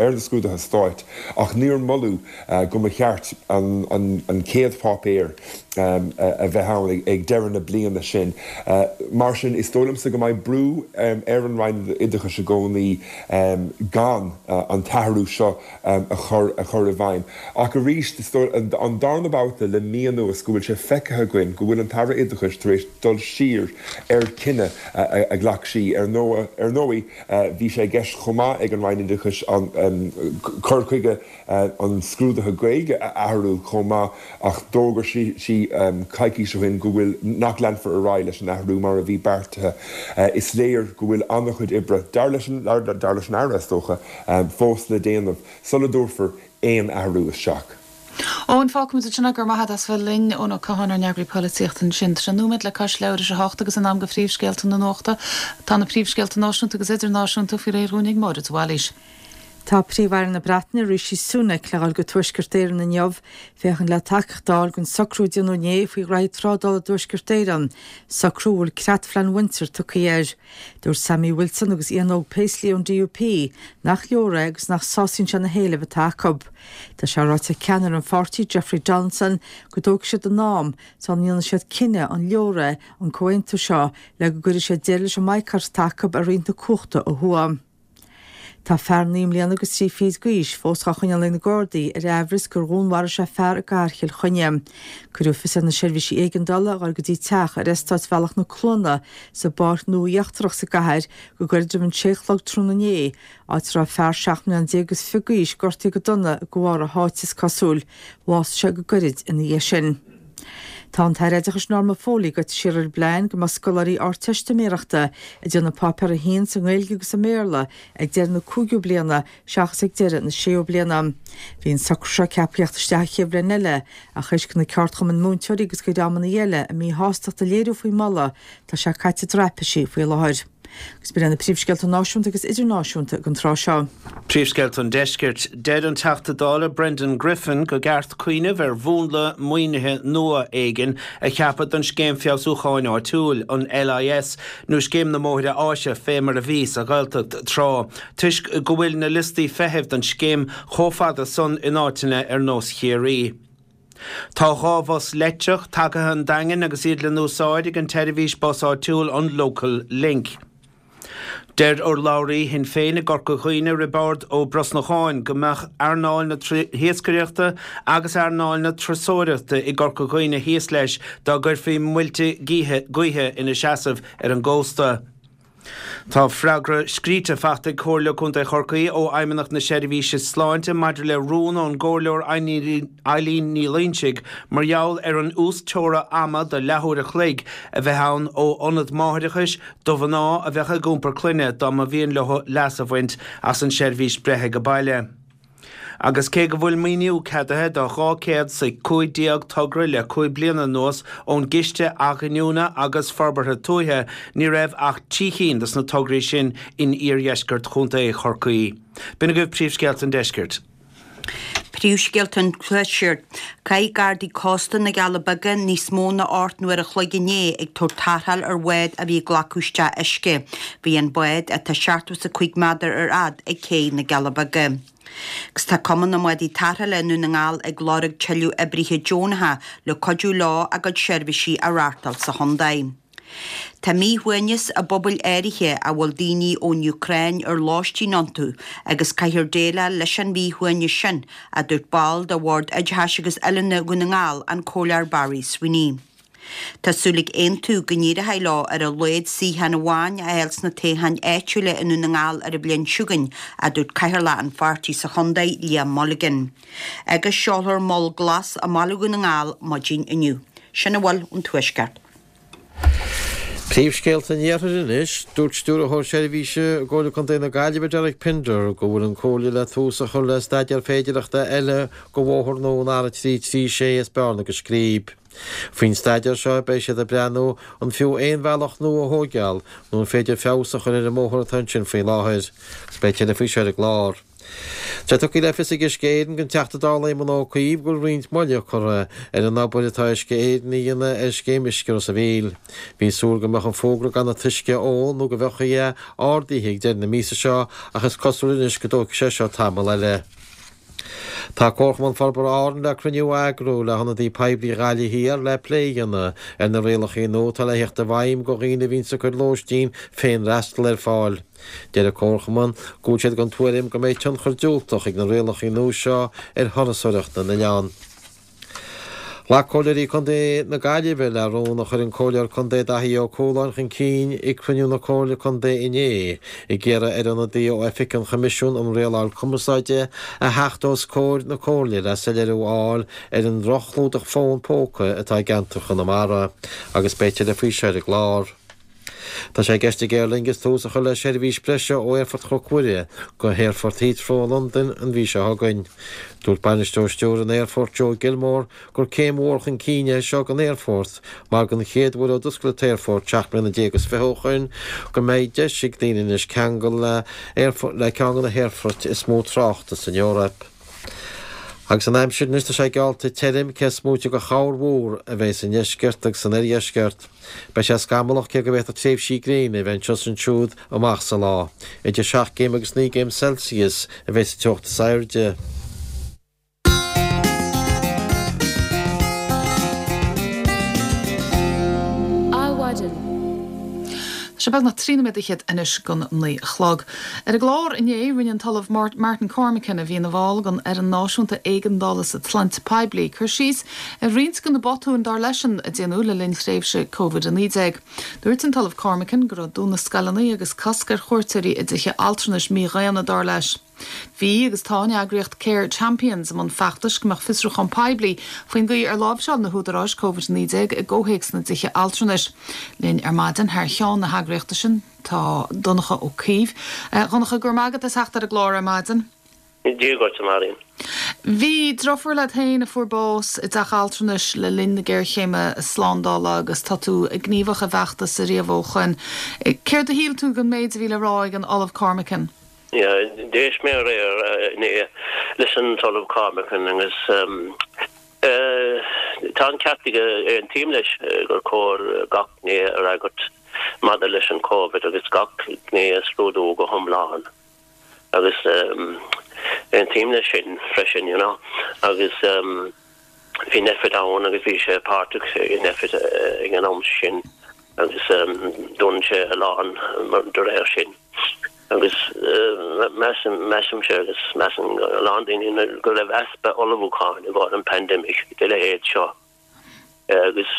ar na scrúduithe stáit ach níor moladh go mba cheart an chéad pháipéar a bheith ann ag deireadh na bliana sin. Mar sin, is dóigh liomsa go mbeidh brú ar an Roinn Oideachais i gcónaí gan an t-athrú seo a chur a chur i bhfeidhm. Ach arís, is dóigh, an darna babhta le mí anuas go bhfuil sé feicthe againn go bhfuil an tAire Oideachais tar éis dul siar ar chinneadh a ghlac sí. Ar ndóigh, bhí sé i gceist chomh maith ag an Roinn Oideachais an cur chuige an scrúdaithe Gaeilge a athrú chomh maith ach d'fhógair sí coicís ó shin go bhfuil nach leanfar ar aghaidh leis an athrú mar a bhí beartaithe. Is léir go bhfuil an-chuid oibre, dar leis an Aire, is dócha, fós le déanamh sula dtabharfar aon athrú isteach. Eoin, fágfaimid ansin é, go raibh maith agat as bheith linn. Eoin Ó Catháin, ár n-eagraí polaitíochta ansin. Tá sé nóiméad le cois leathuair tar éis a hocht agus in am do phríomhscéalta na nuachta. Tá na príomhscéalta náisiúnta agus idirnáisiúnta faoi réir dhúinn ag Máire de Bhailís. Tá Príomh-Aire na Breataine, Rishi Sunak, le dhul go Tuaisceart Éireann inniu féachaint le tacaíocht a fháil don socrú a déanadh inné faoi ghraithí trádála i dTuaisceart Éireann, socrú a bhfuil Creatphlean Windsor tugtha air. Dúirt Sammy Wilson agus Ian Óg Paisley ón DUP nach leor é agus nach sásaíonn sé na héilimh atá acu. Tá sé ráite ag ceannaire an pháirtí, Jeffrey Donaldson, go dtógfaidh siad a n-am sula ndéanfaidh siad cinneadh an leor é an comhaontú seo le go gcuirfidh sé deireadh leis an mbaghcat atá acu ar roinnt na cumhachta ó thuaidh. Tá fear 9 mbliana agus 3 fichid d'aois fós á choinneáil ag na Gardaí ar aimhreas gur dhúnmharaigh sé fear i gcathair Chill Chainnigh. Cuireadh fios ar na seirbhísí éigeandála a dhul go dtí teach ar eastát Bhealach na Cluana sa bPáirc Nua Íochtarach sa gcathair go gairid roimh an 6 a chlog tráthnóna inné, áit a raibh fear 17 mbliana agus fiche d'aois gortaithe go dona de bharr a sháite is cosúil. Bhásaigh sé go gairid ina dhiaidh sin. Tá an tAire Oideachais Norma Foley gaibhte siar ar an bplean go mbeadh scoláirí Ardteistiméireachta ag déanamh Páipéar 1 sa nGaeilge agus sa mBéarla ag deireadh na cúigiú bliana seachas ag deireadh na séú bliana. Bhí an socrú seo ceaptha theacht isteach an chéad bhliain eile ach théis do na ceardchumainn múinteoirí agus do dhreamanna eile a míshástacht a léiriú faoin moladh, tá sé caite i dtraipisí faoi láthair. Agus b'in iad na príomhscéalta náisiúnta agus idirnáisiúnta don tráth seo. Príomhscéalta an Deiscirt. Deir an Teachta Dála Brendan Griffin go gceart cuimhneamh ar mhúnla maoinithe nua éigin a cheapadh don Scéim Feabhsúcháin Áitiúil, an LIS, nó Scéim na mBóithre Áise fé mar a bhí sa Ghaeltacht tráth, toisc go bhfuil na liostaí feithimh don scéim chomh fada san in áiteanna ar nós Chiarraí. Tá 2 bhus leictreach tagtha 'un an Daingin agus iad le n-úsáid ag an tseirbhís bus áitiúil an Local Link. Deir urlabhraí Shinn Féin i gCorca Dhuibhne, Roibeárd Ó Brosnacháin, go mbeadh earnáil na hiascaireachta agus earnáil na turasóireachta i gCorca Dhuibhne thíos leis dá gcuirfí muilte gaoithe ina seasamh ar an gcósta. Tá freagra scríte faighte ag Comhairle Contae Chorcaí ó Fheidhmeannacht na Seirbhíse Sláinte maidir le rún ón gComhairleoir Eileen Ní Loingsigh mar gheall ar an uas-teora ama de leathuair a chloig a bheith ann ó ionad máithreachais do mhná a bheadh ag iompar clainne dá mba mhian leo leas a bhaint as an seirbhís breithe ag baile. Agus cé go bhfuil maoiniú ceadaithe do 215 togra le 5 bliana anuas ón gCiste Athghiniúna agus Forbartha Tuaithe, ní raibh ach 3 chinn dos na tograí sin in iardheisceart Chontae Chorcaí. B'in agaibh príomhscéalta an deiscirt. Príomhscéalta an Tuaiscirt. Chaith Gardaí Cósta na gCealla Beaga níos mó ná 8 n-uair a chloig inné ag tabhairt tarrtháil ar bhád a bhí ag glacadh isteach uisce. Bhí an bád, atá 75 méadar ar fhad, ag cé na gCealla Beaga. Agus tá Cumann na mBádaí Tarrthála i nDún na nGall ag lorg tuilleadh oibrithe deonacha le cuidiú leo a gcuid seirbhísí a reáchtáil sa chontae. Tá míshuaimhneas i bpobail áirithe a bhfuil daoine ón Úcráin ar lóistín iontu agus caithfear déileáil leis an mhíshuaimhneas sin, a dúirt ball de Bhord Oideachais agus Oiliúna Dhún na nGall, an Comhairleoir Barry Sweeney. Tá súil ag Aontú go n-éireoidh leo ar a laghad suíochán amháin a fháil sna toghcháin áitiúla i nDún na nGall ar an bhliain seo chugainn, a dúirt Cathaoirleach an pháirtí sa chontae, Liam Mulligan. Agus seolfar Mol Glas i mbaile Dhún na nGall maidin inniu. Sin a bhfuil ón Tuaisceart. Príomhscéalta an Iarthair anois. Dúirt Stiúrthóir Seirbhíse i gComhairle Contae na Gaillimhe Derek Pinder go bhfuil an Comhairle le tús a chur le staidéar féidearthachta eile go bhóthar nua an R336 as Bearna go Scríb. Faoin staidéar seo beidh siad ag breathnú an fiú aon bhealach nua a thóigeáil nó an féidir feabhas a chur ar an mbóthar atá ansin faoi láthair. Agus beidh tuilleadh faoi seo ar an gclár. Tá tugtha le fios ag Uisce Éireann don Teachta Dála Éamon Ó Cuív go bhfuil roinnt moille curtha ar an obair atá Uisce Éireann a dhéanamh ar scéim Uisce Ros a' Mhíl. Bhí súil go mbeadh an fógra gan an t-uisce a ól nó go bhfiuchfaí é ardaithe ag deireadh na míosa seo ach is cosúil anois go dtógfaidh sé seo tamall eile. Tá Comharchumann Forbartha Árann le cruinniú a eagrú le hionadaí poiblí Ghaillimh Thiar le plé a dhéanamh ar na rialacha nua atá le theacht i bhfeidhm go dhaoine a bhíonns ag cur lóistín féin-fhreastal ar fáil. Deir an Comharchumann go bhfuil siad den tuairim go mbeidh tionchar diúltach ag na rialacha nua seo ar thurasóireacht na n-oileán. Ghlac Comhairleoirí Contae na Gaillimhe le rún a chuir an Comhairleoir Contae Daithí Ó Cualáin chun cinn ag cruinniú na Comhairle Contae inné ag iarraidh ar ionadaí ó Oifig an Choimisiúin um Rialáil Cumarsáide a theacht os comhair na Comhairle le soiléiriú a fháil ar an droch-chlúdach fón póca atá i gceantar Chonamara agus beidh tuilleadh faoi seo ar an gclár. Tá sé i gceist ag Aer Lingus tús a chur le seirbhís breise ó Aerfort Chnoc Mhuire go hAerfort Heathrow i Londain an mhí seo chugainn. Dúirt Bainisteoir Stiúrtha an Aerfoirt Joe Gilmore gur céim mhór chun cinn é seo don aerfort mar don chéad uair ó d'oscail an t-aerfort 17 mbliana is 20 ó shoin go mbeidh deis ag daoine anois ceangal le le ceann de na haerfoirt is mó tráchta san Eoraip. Agus an aimsir anois tá sé geallta tirim cé is móite de chorrmhúr a bheidh sa ndeisceart agus san oirdheisceart. Beidh sé scamallach cé go bhféadfadh tréimhsí gréine a bheith anseo is ansiúd amach sa lá. Idir 7 gcéim agus 9 gcéim Celsius a bheidh sa teocht is airde. Adhmhaidin. Tá sé beagnach 3 nóiméad fhichead anois don 9 a chlog. Ar an gclár inné, rinne an tOllamh Martin Cormican, a bhí ina bhall den Fhoireann Náisiúnta Éigeandála sa tSláinte Poiblí, cur síos ar roinnt de na botúin dar leisean a déanadh le linn thréimhse Covid-19. Dúirt an tOllamh Cormican go raibh dúnadh scoileanna agus cosc ar chuairteoirí i dtithe altranais mídhaonna, dar leis. Bhí agus tá an eagraíocht Care Champions i mbun feachtais go mbeadh fiosrúchán poiblí faoin gcaoi ar láimhseáil na húdaráis Covid-19 i gcomhthéacs na dtithe altranais. Linn ar maidin thar cheann na heagraíochta sin tá Donncha Ó Caoimh. A Dhonncha, go raibh maith agat as theacht ar an gclár ar maidin. Dia dhuit, a Mháirín. Bhí driofúr leat féin a fuair bás i dteach altranais le linn na géarchéime slándála agus tá tú gníomhach i bhfeachtas ariamh ó shoin. Céard a shíl tú den méid a bhí le rá ag an Ollamh Cormican? Yeah, d'éist mé aréir inné leis an tOllamh Cormican agus tá an ceart aige, aontaím leis gur cóir gach gné a fhreagairt maidir leis an Covid agus gach gné a scrúdú go hiomlán agus aontaím leis sin freisin, you know, agus bhí Nphet ann agus bhí sé páirteach i Nphet ag an am sin agus dún sé a lán de réir sin. Agus measaim, measaimse agus measann a lán daoine go raibh easpa ullmhúcháin i gcomhair an pandemic de leithéid seo. Agus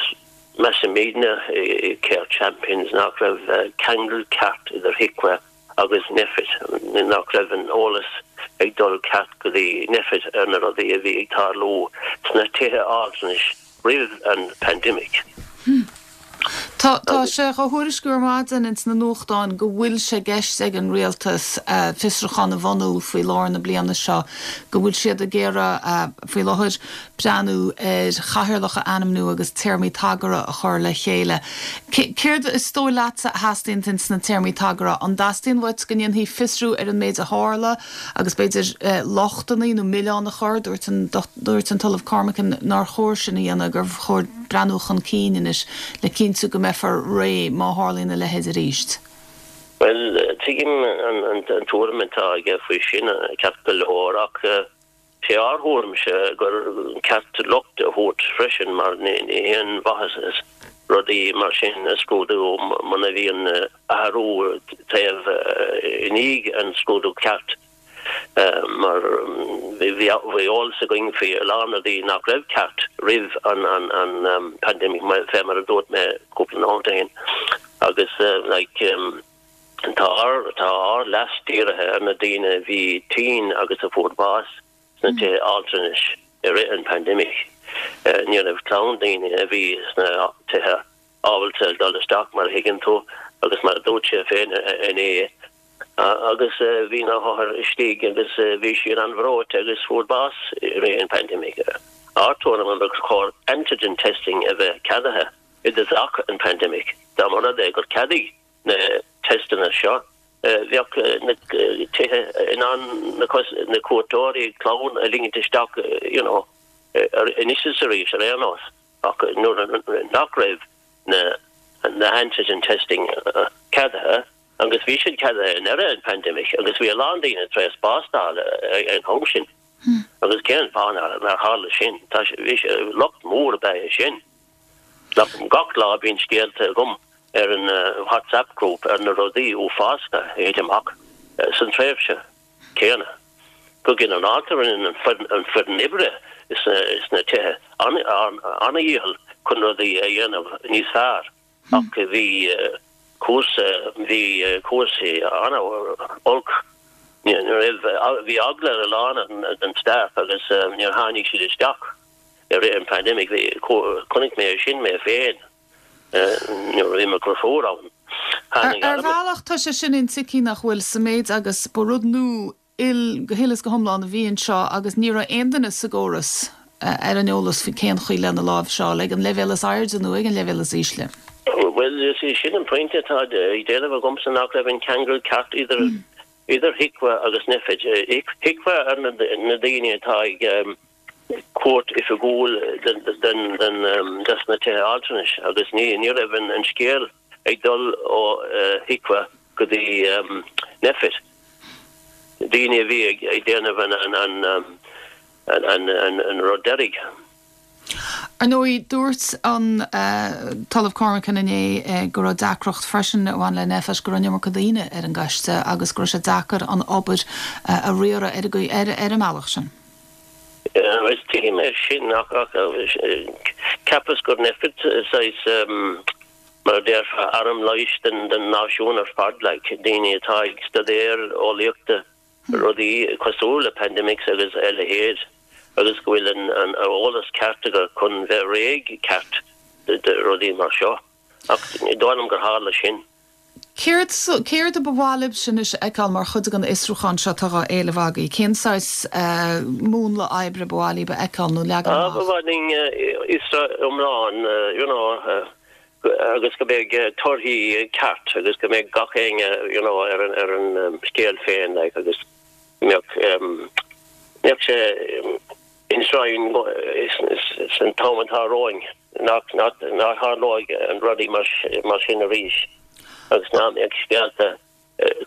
measaimidne i Care Champions nach raibh ceangal ceart idir HIQA agus Nphet, nach raibh an eolas ag dul ceart go dtí Nphet ar na rudaí a bhí ag tarlú sna tithe altranais roimh an pandemic. Tá. Tá tá sé á thuairisciú ar maidin ins na nuachtáin go bhfuil sé i gceist ag an Rialtas fiosrúchán a bhunú faoi lár na bliana seo, go bhfuil siad ag iarraidh faoi láthair breathnú ar chathaoirleach a ainmniú agus téarmaí tagartha a chur le chéile. Céard is dóigh leatsa a theastaíonn ins na téarmaí tagartha? An dteastaíonn uait go ndéanfaí fiosrú ar an méid a tharla agus b'fhéidir lochtanna nó milleán a chur, dúirt an dúirt an tOllamh Cormican nár chóir sin a dhéanamh, gur chóir breathnú chun cinn anois le cinntiú go mbeifear réidh má tharlaíonn a leithéid arís. Bhuel, tuigim an tuairim atá aige faoi sin, ceart go leor, ach sé ár thuairimse gur ceart locht a thabhairt freisin mar ní haon mhaitheas rudaí mar sin a scrúdú muna bhíonn athrú taobh i ndiaidh an scrúdú ceart mar bhí eolas againn faoi a lán rudaí nach raibh ceart roimh an pandemic fé mar a dúirt mé cúpla nóiméad ó shin agus like Tá ár tá ár leas dírithe ar na daoine a bhí tinn agus a fuair bás sna tithe altranais i rith an pandemic. Ní raibh clann daoine a bhí sna tithe ábalta dul isteach mar a thuigeann tú agus mar a dúirt sé féin inné agus bhí na hothair istigh agus bhí siad an-bhreoite agus fuair bás i rith an pandemic. Ár tuairim gur chóir antigen testing a bheith ceadaithe i dtosach an pandemic dá mba rud é gur ceadaigh na teisteanna seo, bheadh na tithe in ann na cuairteoirí, clann a ligint isteach you know anois is arís ar aon nós ach nuair nach raibh na na antigen testing ceadaithe agus bhí siad ceadaithe i ndeireadh an pandemic agus bhí a lán daoine tar éis bás d'fháil ag an am sin agus cén fáth nár tharla sin? Tá bhí sé locht mór ab ea é sin. Gach lá bíonn scéalta agam ar an WhatsApp group ar na rudaí uafásacha a thit amach san tréimhse céanna. Go ginearálta rinne an foireann oibre sna tithe an-dhícheall chun rudaí a dhéanamh níos fearr ach bhí cúrsa bhí cúrsaí an-olc. Bhí eagla ar a lán den staff agus níor tháinig siad isteach. I rith an pandemic bhí, chonaic mé é sin mé féin nuair a bhí mo dheirfiúr ann. Tháinig Ar bhealach tá sé sin intuigthe nach bhfuil sa méid agus ba rud nua go huile is go hiomlán a bhí anseo agus ní raibh aon duine sa gcóras ar an eolas faoi cén chaoi lena láimhseáil ag an leibhéal is airde nó ag an leibhéal is ísle. Bhuel, is é sin an pointe atá ag déanamh agamsa nach raibh an ceangal ceart idir idir HIQA agus Nphet. HIQA ar na daoine atá ag cuairt oifigiúil des na tithe altranais agus ní raibh an scéal ag dul ó HIQA go dtí Nphet. Daoine a bhí ag déanamh an rud deiridh. Ar ndóigh, dúirt an tOllamh Cormican inné go raibh deacracht freisin a bhain le Nphet, go raibh an iomarca daoine ar an gcoiste agus go raibh sé deacair an obair a riaradh ar an mbealach sin. Is tuigim é sin ach cheapas gur Nphet saghas, mar a déarfá, arm leighis den náisiún ar fad, like, daoine atá ag staidéar eolaíochta, rudaí cosúil le pandemics agus a leithéid agus go bhfuil an eolas ceart acu chun bheith réidh ceart do rudaí mar seo. Ach ní dóigh liom gur tharla sin. Céard, céard a ba mhaith libhse anois a fheiceáil mar chuid den fhiosrúchán seo atá á éileamh agaibh? Cén saghas múnla oibre ba mhaith libh a fheiceáil nó leagan amach? Ba mhaith linn fiosrú iomlán, you know, agus go mbeidh torthaí ceart agus go mbeidh gach éinne, you know, ar an, ar an scéal féin, like, agus go mbeadh, mbeadh sé enshrined san t-am atá romhainn. Nach dtarlóidh an rudaí mar sin arís agus nach mbeadh scéalta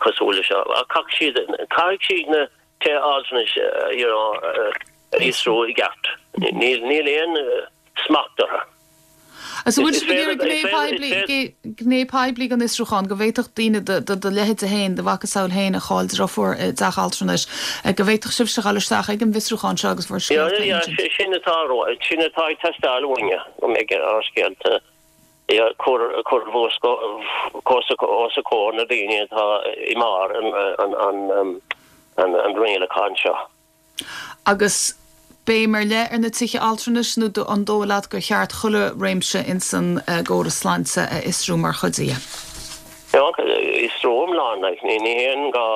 cosúil le seo. Ach caithfidh siad, caithfidh siad na tithe altranais you know a fhiosrú i gceart. Níl aon smacht orthu. Agus an bhfuil sibh ag iarraidh gné poiblí, gné poiblí den fhiosrúchán, go bhféadfadh daoine de do leithéide féin, do mhacasamhail féin a chaill deirfiúr i dteach altranais, go bhféadfadh sibhse dhul isteach ag an bhfiosrúchán seo agus bhur scéalta a insint? Sin atá, sin atá ag teastáil uainne, go mbeidh ár scéalta á cur os comhair na daoine atá i mbarr an rialacháin seo. Agus. Béim ar leith ar na tithe altranais nó an dóigh leat gur cheart chuile réimse ins an gcóras sláinte a fhiosrú mar chuid dhe? Fiosrú iomlán, like, ní haon gá,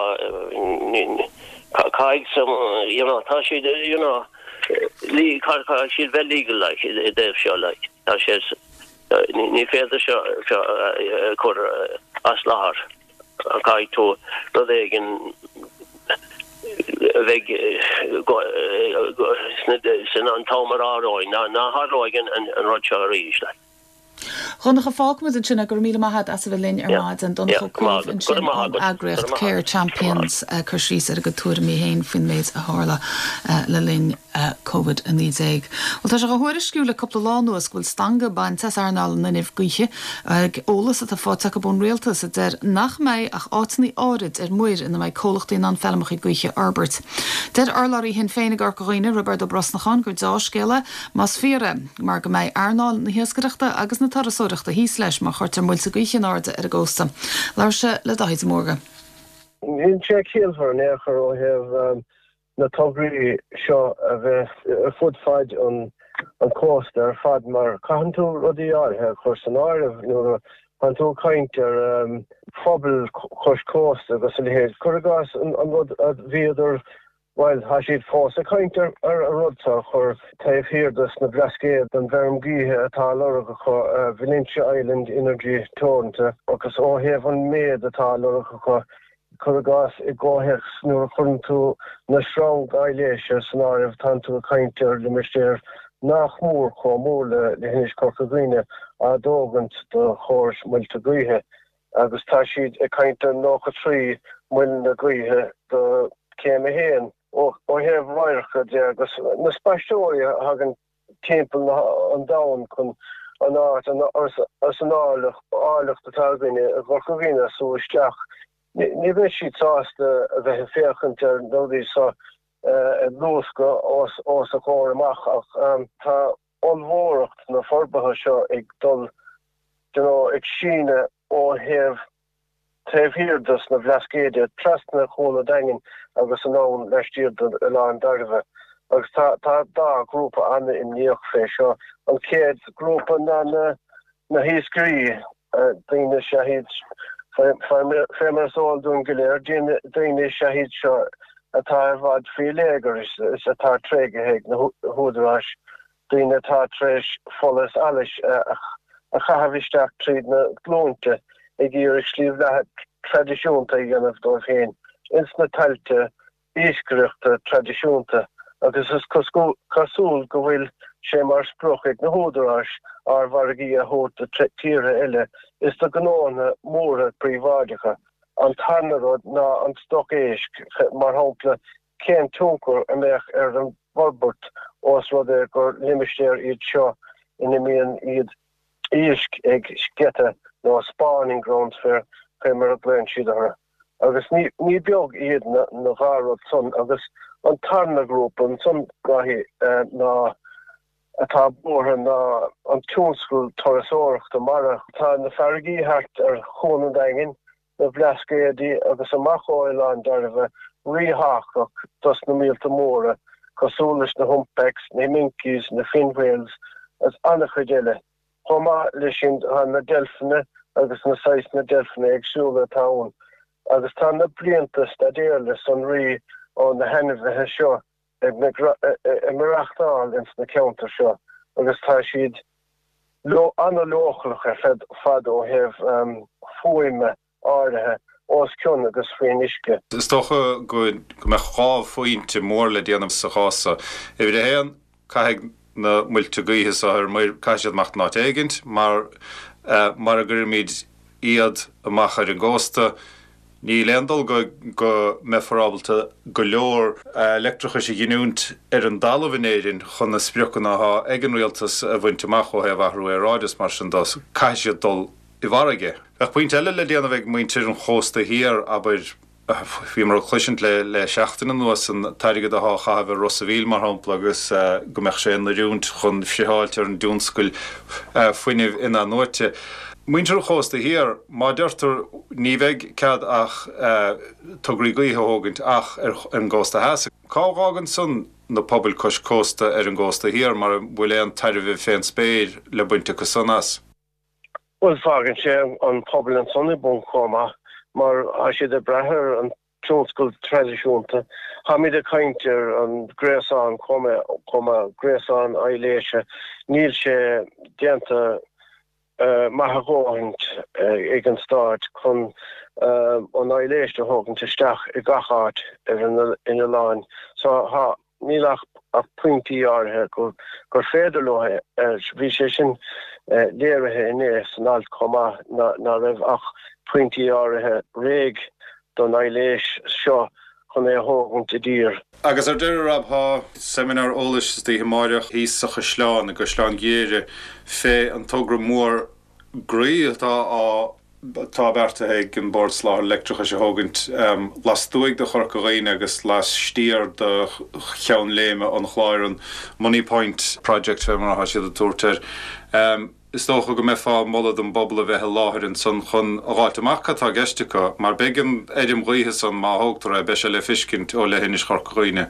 caithfidh, you know, tá siad, you know, caithfidh siad bheith legal, like, i dtaobh seo, like, tá sé, ní féidir seo a chur as láthair. Caithfidh tú rud éigin a bheidh san an t-am atá romhainn, ná tharlóidh an rud seo arís. A Dhonncha, fágfaimid ansin é. Go raibh míle maith agat as a bheith linn ar maidin. Donncha Ó Cuív ansin ón eagraíocht Care Champions ag cur síos ar a gcuid tuairimí féin faoin méid a tharla le linn Covid-19. Bhuel, tá sé á thuairisciú le cúpla lá anuas go bhfuil stangadh bainte as earnáil an fhuinnimh gaoithe ag eolas atá faighte acu ón rialtas a deir nach mbeidh ach áiteanna áirid ar muir ina mbeidh comhlachtaí in ann feilmeacha gaoithe a fhorbairt. Deir urlabhraí Shinn Féin i gCorca Dhuibhne, Roibeard Ó Brosnacháin, gur deá-scéal é, más fíor é, mar go mbeidh earnáil na hiascaireachta agus na turasóireachta thíos leis má chuirtear muilte gaoithe in airde ar an gcósta. Labhair sé le Dáithí de Mórdha. Níl sé ciallmhar in aon chor ó thaobh na tograí seo a bheith ar fud faid an chósta ar fad mar caitheann tú rudaí áirithe a chur san áireamh nuair a tánn tú ag caint ar phobail cois cósta agus a leithéid. Cuir i gcás an rud a bhíodar, bhuel, tá siad fós ag caint ar an rud seo a chur taobh thiar dos na Blascaoid den bhfeirm gaoithe atá á lorg acu, Valentia Island Energy Teoranta, agus ó thaobh an méid atá á lorg acu, Cuir i gcás, i gcomhthéacs nuair a chuireann tú na sreang aibhléise san áireamh tánn tú ag caint ar limistéar nach mór chomh mór le hInis Corca Dhuibhne á dtógaint do chórais muilte gaoithe agus tá siad ag caint ar 93 muileanna gaoithe do céim 1. Ó thaobh radharca de agus na spaisteoirí a thagann timpeall an domhain chun an áit agus an áilleacht atá againne i gCorca Dhuibhne a sú isteach. Ní bheidh siad sásta a bheith ag féachaint ar na rudaí seo ag luascadh os a gcomhair amach ach tá ollmhóracht na forbartha seo ag dul you know ag síneadh ó thaobh taobh thiar dos na Blascaoid, trasna Chuan an Daingin agus anonn laistiar d'Oileán Dairbhe. Agus tá tá dá ghrúpa an-imníoch fé seo. An chéad ghrúpa ná na na hiascairí, daoine is ea iad, fé mar is eol dúinn go léir, daoine is ea iad seo atá i bhfad faoi léigear is atá tréigthe ag na húdaráis daoine atá tar éis fola is allas a chaitheamh isteach tríd na glúinte ag iarraidh slí bheatha traidisiúnta a dhéanamh dóibh féin ins na tailte iascaireachta traidisiúnta agus is cosúil go bhfuil sé mar sprioc ag na húdaráis ár bhfarraigí a thabhairt do tíortha eile is do ghnóanna móra príobháideacha. An tarna rud ná an stoc éisc, mar shampla cén tionchar a mbeadh ar an bhforbairt ós rud é gur limistéir iad seo ina mbíonn iad éisc ag sceiteadh nó spawning grounds fé mar a ghlaonn siad orthu. Agus ní ní beag iad na na dhá rud san agus an tarna grúpa ansan Dáithí ná atá buartha ná an tionscal turasóireachta mara. Tá na farraigí thart ar Chuan an Daingin na Blascaodaí agus amach ó Oileán Dairbhe ríthábhachtach dos na míolta móra, cosúil leis na humpbacks, na minkies, na fin whales agus an-chuid eile. Chomh maith leis sin tá na deilfeanna agus na saghsanna deilfeanna éagsúla atá ann agus tá na blianta staidéir le sonraí ó na hainmhithe seo ag maireachtáil ins na ceantair seo agus tá siad an-leochaileach ar fad ó thaobh fuaime áirithe os cionn agus faoin uisce. Is dócha go mbeadh dhá phointe mór le déanamh sa chás seo. Uimhir a haon, caithfidh na muilte gaoithe seo ar muir, caithfidh siad imeacht in áit éigint, mar mura gcuirimid iad amach ar an gcósta, Níl aon dul go go mbeifear ábalta go leor leictreachais a ghiniúint ar an dtalamh in Éirinn chun na spriocanna atá ag an rialtas a bhaint amach ó thaobh athrú aeráide is mar sin de. Caithfidh siad dul i bhfarraige. Bheadh pointe eile le déanamh ag muintir an chósta thiar, abair, bhíomar ag cloisint le le seachtain anuas an t-airgead atá á chaitheamh ar Ros a' Mhíl mar shampla agus go mbeadh sé in oiriúint chun friotháilt ar an dtionscal fuinnimh in-athnuaite. Muintir an chósta thiar, má deirtear ní bheidh cead ach tograí gaoithe a thógaint ach ar an gcósta theas, cá bhfágann san na pobail cois cósta ar an gcósta thiar mar an bhfuil aon tairbhe fén spéir le baint acu san as? Bhuel, fágann sé an pobal ansan i bponc chomh maith mar tá siad ag brath ar an tionscal traidisiúnta. Táimid ag caint ar an gréasán chomh maith, gréasán aibhléise. Níl sé déanta maith a dhóthaint ag an Stát chun an aibhléis a thógaint isteach i gach áit ar an oileán. So tá, níl ach pointí áirithe gur féidir leo é. Bhí sé sin léirithe inné san alt chomh maith ná raibh ach pointí áirithe réidh don aibhléis seo chun é a thógaint i dtír. Agus ar deireadh, Rob, thá seimineár eolais istoíche amáireach thíos sa Chaisleán, i gCaisleán Ghriaire, fé an togra mór groí atá á atá beartaithe ag an Bord Soláthair Leictreachais a thógaint lastuaidh de Chorca Dhuibhne agus laistiar de Cheann Léime an Chláir, an Moneypoint Project fé mar atá siad ag tabhairt air. Is dócha go mbeifeá ag moladh don bpobal a bheith i láthair ansan chun a dh'fháilt amach cad tá i gceist acu, mar beidh an fheirm ghaoithe san, má thógtar é, beidh sé le fiscint ó leithinis Chorca Dhuibhne.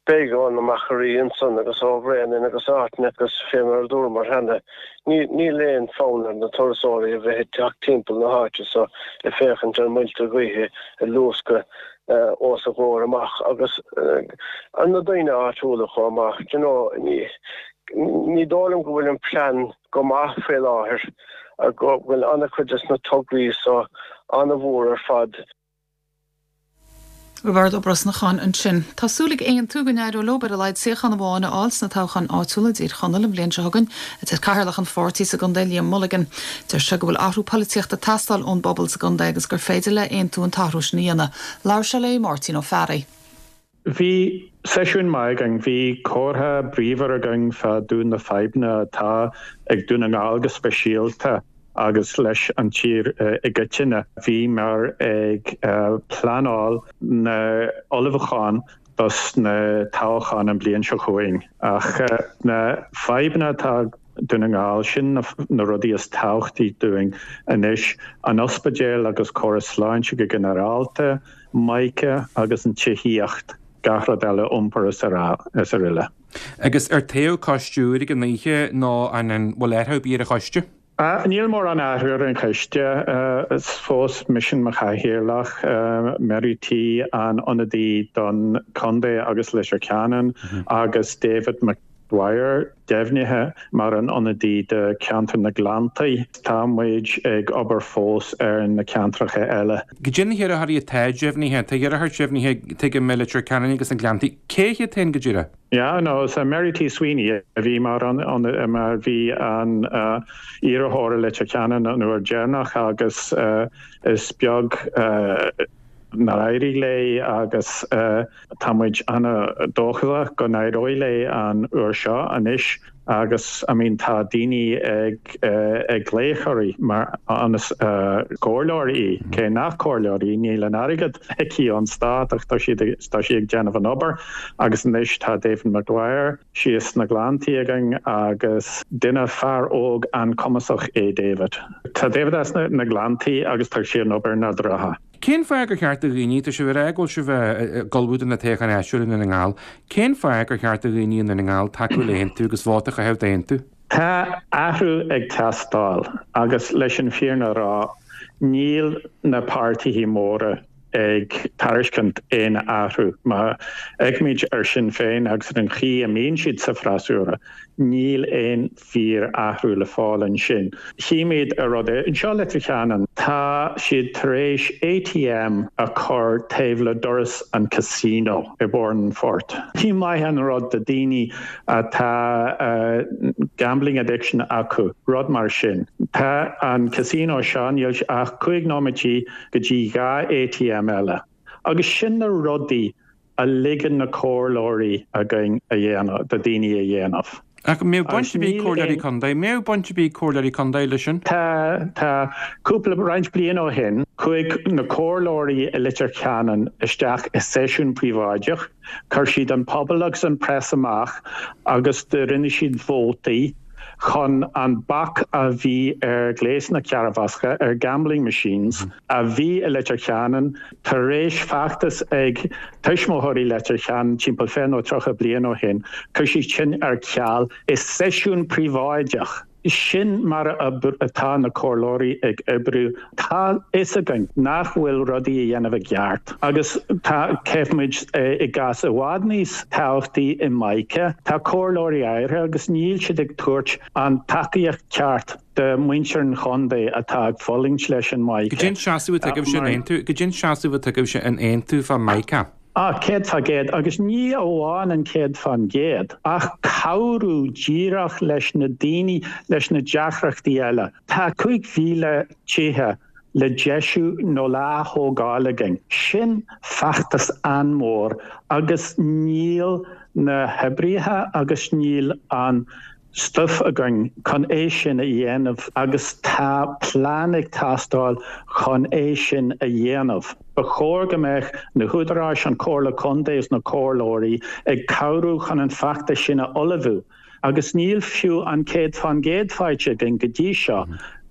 Beidh ó na Machairí ansan agus ó Bhréanainn agus áiteanna agus fé mar a dúramar cheana, níl aon fonn ar na turasóirí a bheith ag teacht timpeall na háite so ag féachaint ar muilte gaoithe ag luascadh os a gcomhair amach agus ar na daoine áitiúla chomh maith. Do you know, ní dóigh liom go bhfuil an plean go maith faoi láthair, go bhfuil an-chuid des na tograí so an-mhór ar fad. Roibeárd Ó Brosnacháin ansin. Tá súil ag Aontú go n-éireoidh leo ar a laghad suíochán amháin a fháil sna toghcháin áitiúla i dTír Chonaill an bhliain seo chugainn, a deir Cathaoirleach an pháirtí sa gcontae Liam Mulligan. Deir sé go bhfuil athrú polaitíochta ag teastáil ón bpobal sa gcontae agus gur féidir le Aontú an t-athrú sin a dhéanamh. Labhair sé le Máirtín Ó Fearraigh. Bhí seisiún maith againn. Bhí comhrá bríomhar againn fá dtaobh na fadhbanna atá ag Dún na nGall go speisialta agus leis an tír i gcoitinne. Bhíomar ag pleanáil na ullmhúcháin dos na toghcháin an bliain seo chugainn. Ach na fadhbanna atá ag Dún na nGall, sin na rudaí is tábhachtaí dúinn anois, an ospidéal agus córas sláinte go ginearálta, Mica agus an tithíocht, gach rud eile, iompar is araile. Agus ar toghadh coiste úr ag an oíche nó an bhfuil athrú ar bith ar an choiste? Níl mórán athrú ar an choiste. Is fós mise mar chathaoirleach, Mary T an ionadaí don chontae agus Leitir Ceanainn agus David McDwyer deimhnithe mar an ionadaí do cheantar na Gleanntaí. Tá muid ag obair fós ar na ceantracha eile. Cad é na hiarrthóirí atá deimhnithe? Tá iarrthóir deimhnithe tuigim i Leitir Ceanainn agus na Gleanntaí. Cé hiad féin go díreach? Yeah, no, is Mary T Sweeney a bhí mar an, mar bhí an iarrthóir i Leitir Ceanainn an uair deireanach agus is beag nár éirigh léi agus tá muid an-dóchasach go n-éireoidh léi an uair seo anois agus I mean tá daoine ag ag glaoch uirthi mar an-, comhairleoir í, cé nach comhairleoir í, níl an airgead aici ón stát ach tá siad tá sí ag déanamh an obair agus anois tá David Maguire síos sna Gleanntaí againn agus duine fear óg an-cumasach é David. Tá David as na Gleanntaí agus tá sé an obair nádúrtha. Cén fáth gur cheart do dhaoine, tá sibh ag rá go bhfuil sibh ag ullmhú do na toghcháin áitiúla i nDún na nGall, cén fáth gur cheart do dhaoine i nDún na nGall tacú le hAontú agus vóta a chaitheamh d'Aontú? Tá athrú ag teastáil agus leis an fírinne a rá, níl na páirtithe móra ag tairiscint aon athrú. Má fhéachaimid ar Sinn Féin agus ar an chaoi a mbíonn siad sa bhfreasúra, níl aon fíor-athrú le fáil ansin. Chímid an rud anseo i Leitir Ceanainn. Tá siad tar éis ATM a chur taobh le doras an casino i Bóthar an Phoirt. Ní maith an rud do daoine atá gambling addiction acu, rud mar sin. Tá an casino seo, níl ach 5 nóiméidí go dtí 2 ATM eile. Agus sin na rudaí a ligeann na comhairleoirí againn a dhéanamh, do daoine a dhéanamh. Ach an mbeadh baint ar bith ag comhairleoirí contae, mbeadh baint ar bith ag comhairleoirí contae leis sin? Tá, tá. Cúpla, roinnt bliain ó shin, chuaigh na comhairleoirí i Leitir Ceanainn isteach i seisiún príobháideach, chuir siad an pobal agus an press amach agus do rinne siad vótaí. chun an bac a bhí ar ghléasanna cearrbhasctha, ar gambling machines, a bhí i Leitir Ceanainn tar éis feachtas ag tuismitheoirí Leitir Ceanainn timpeall 20 nó 30 bliain ó shin, chuir siad sin ar ceal i seisiún príobháideach. Sin mar atá na comhairleoirí ag oibriú. Tá fhios againn nach bhfuil rudaí a dhéanamh i gceart agus tá, feicimid i gcás i bhfad níos tábhachtaí i Mica, tá comhairleoirí áirithe agus níl siad ag tabhairt an tacaíocht ceart do muintir an chontae atá ag fulaingt leis an Mica. Goidé an seasamh atá agaibhse in Aontú, goidé an seasamh atá agaibhse in Aontú fá Mica. Ah, 100%, agus ní amháin an 100%, ach cabhrú díreach leis na daoine leis na deacrachtaí eile. Tá 5,000 tithe le deisiú nó le ath-thógáil againn. Sin feachtas an-mhór agus níl na hoibrithe agus níl an stuif againn chun é sin a dhéanamh agus tá plean ag teastáil chun é sin a dhéanamh. Ba chóir go mbeadh na húdaráis, an Chomhairle Contae is na comhairleoirí ag cabhrú chun an feachtas sin a ullmhú agus níl fiú an 100% faighte againn go dtí seo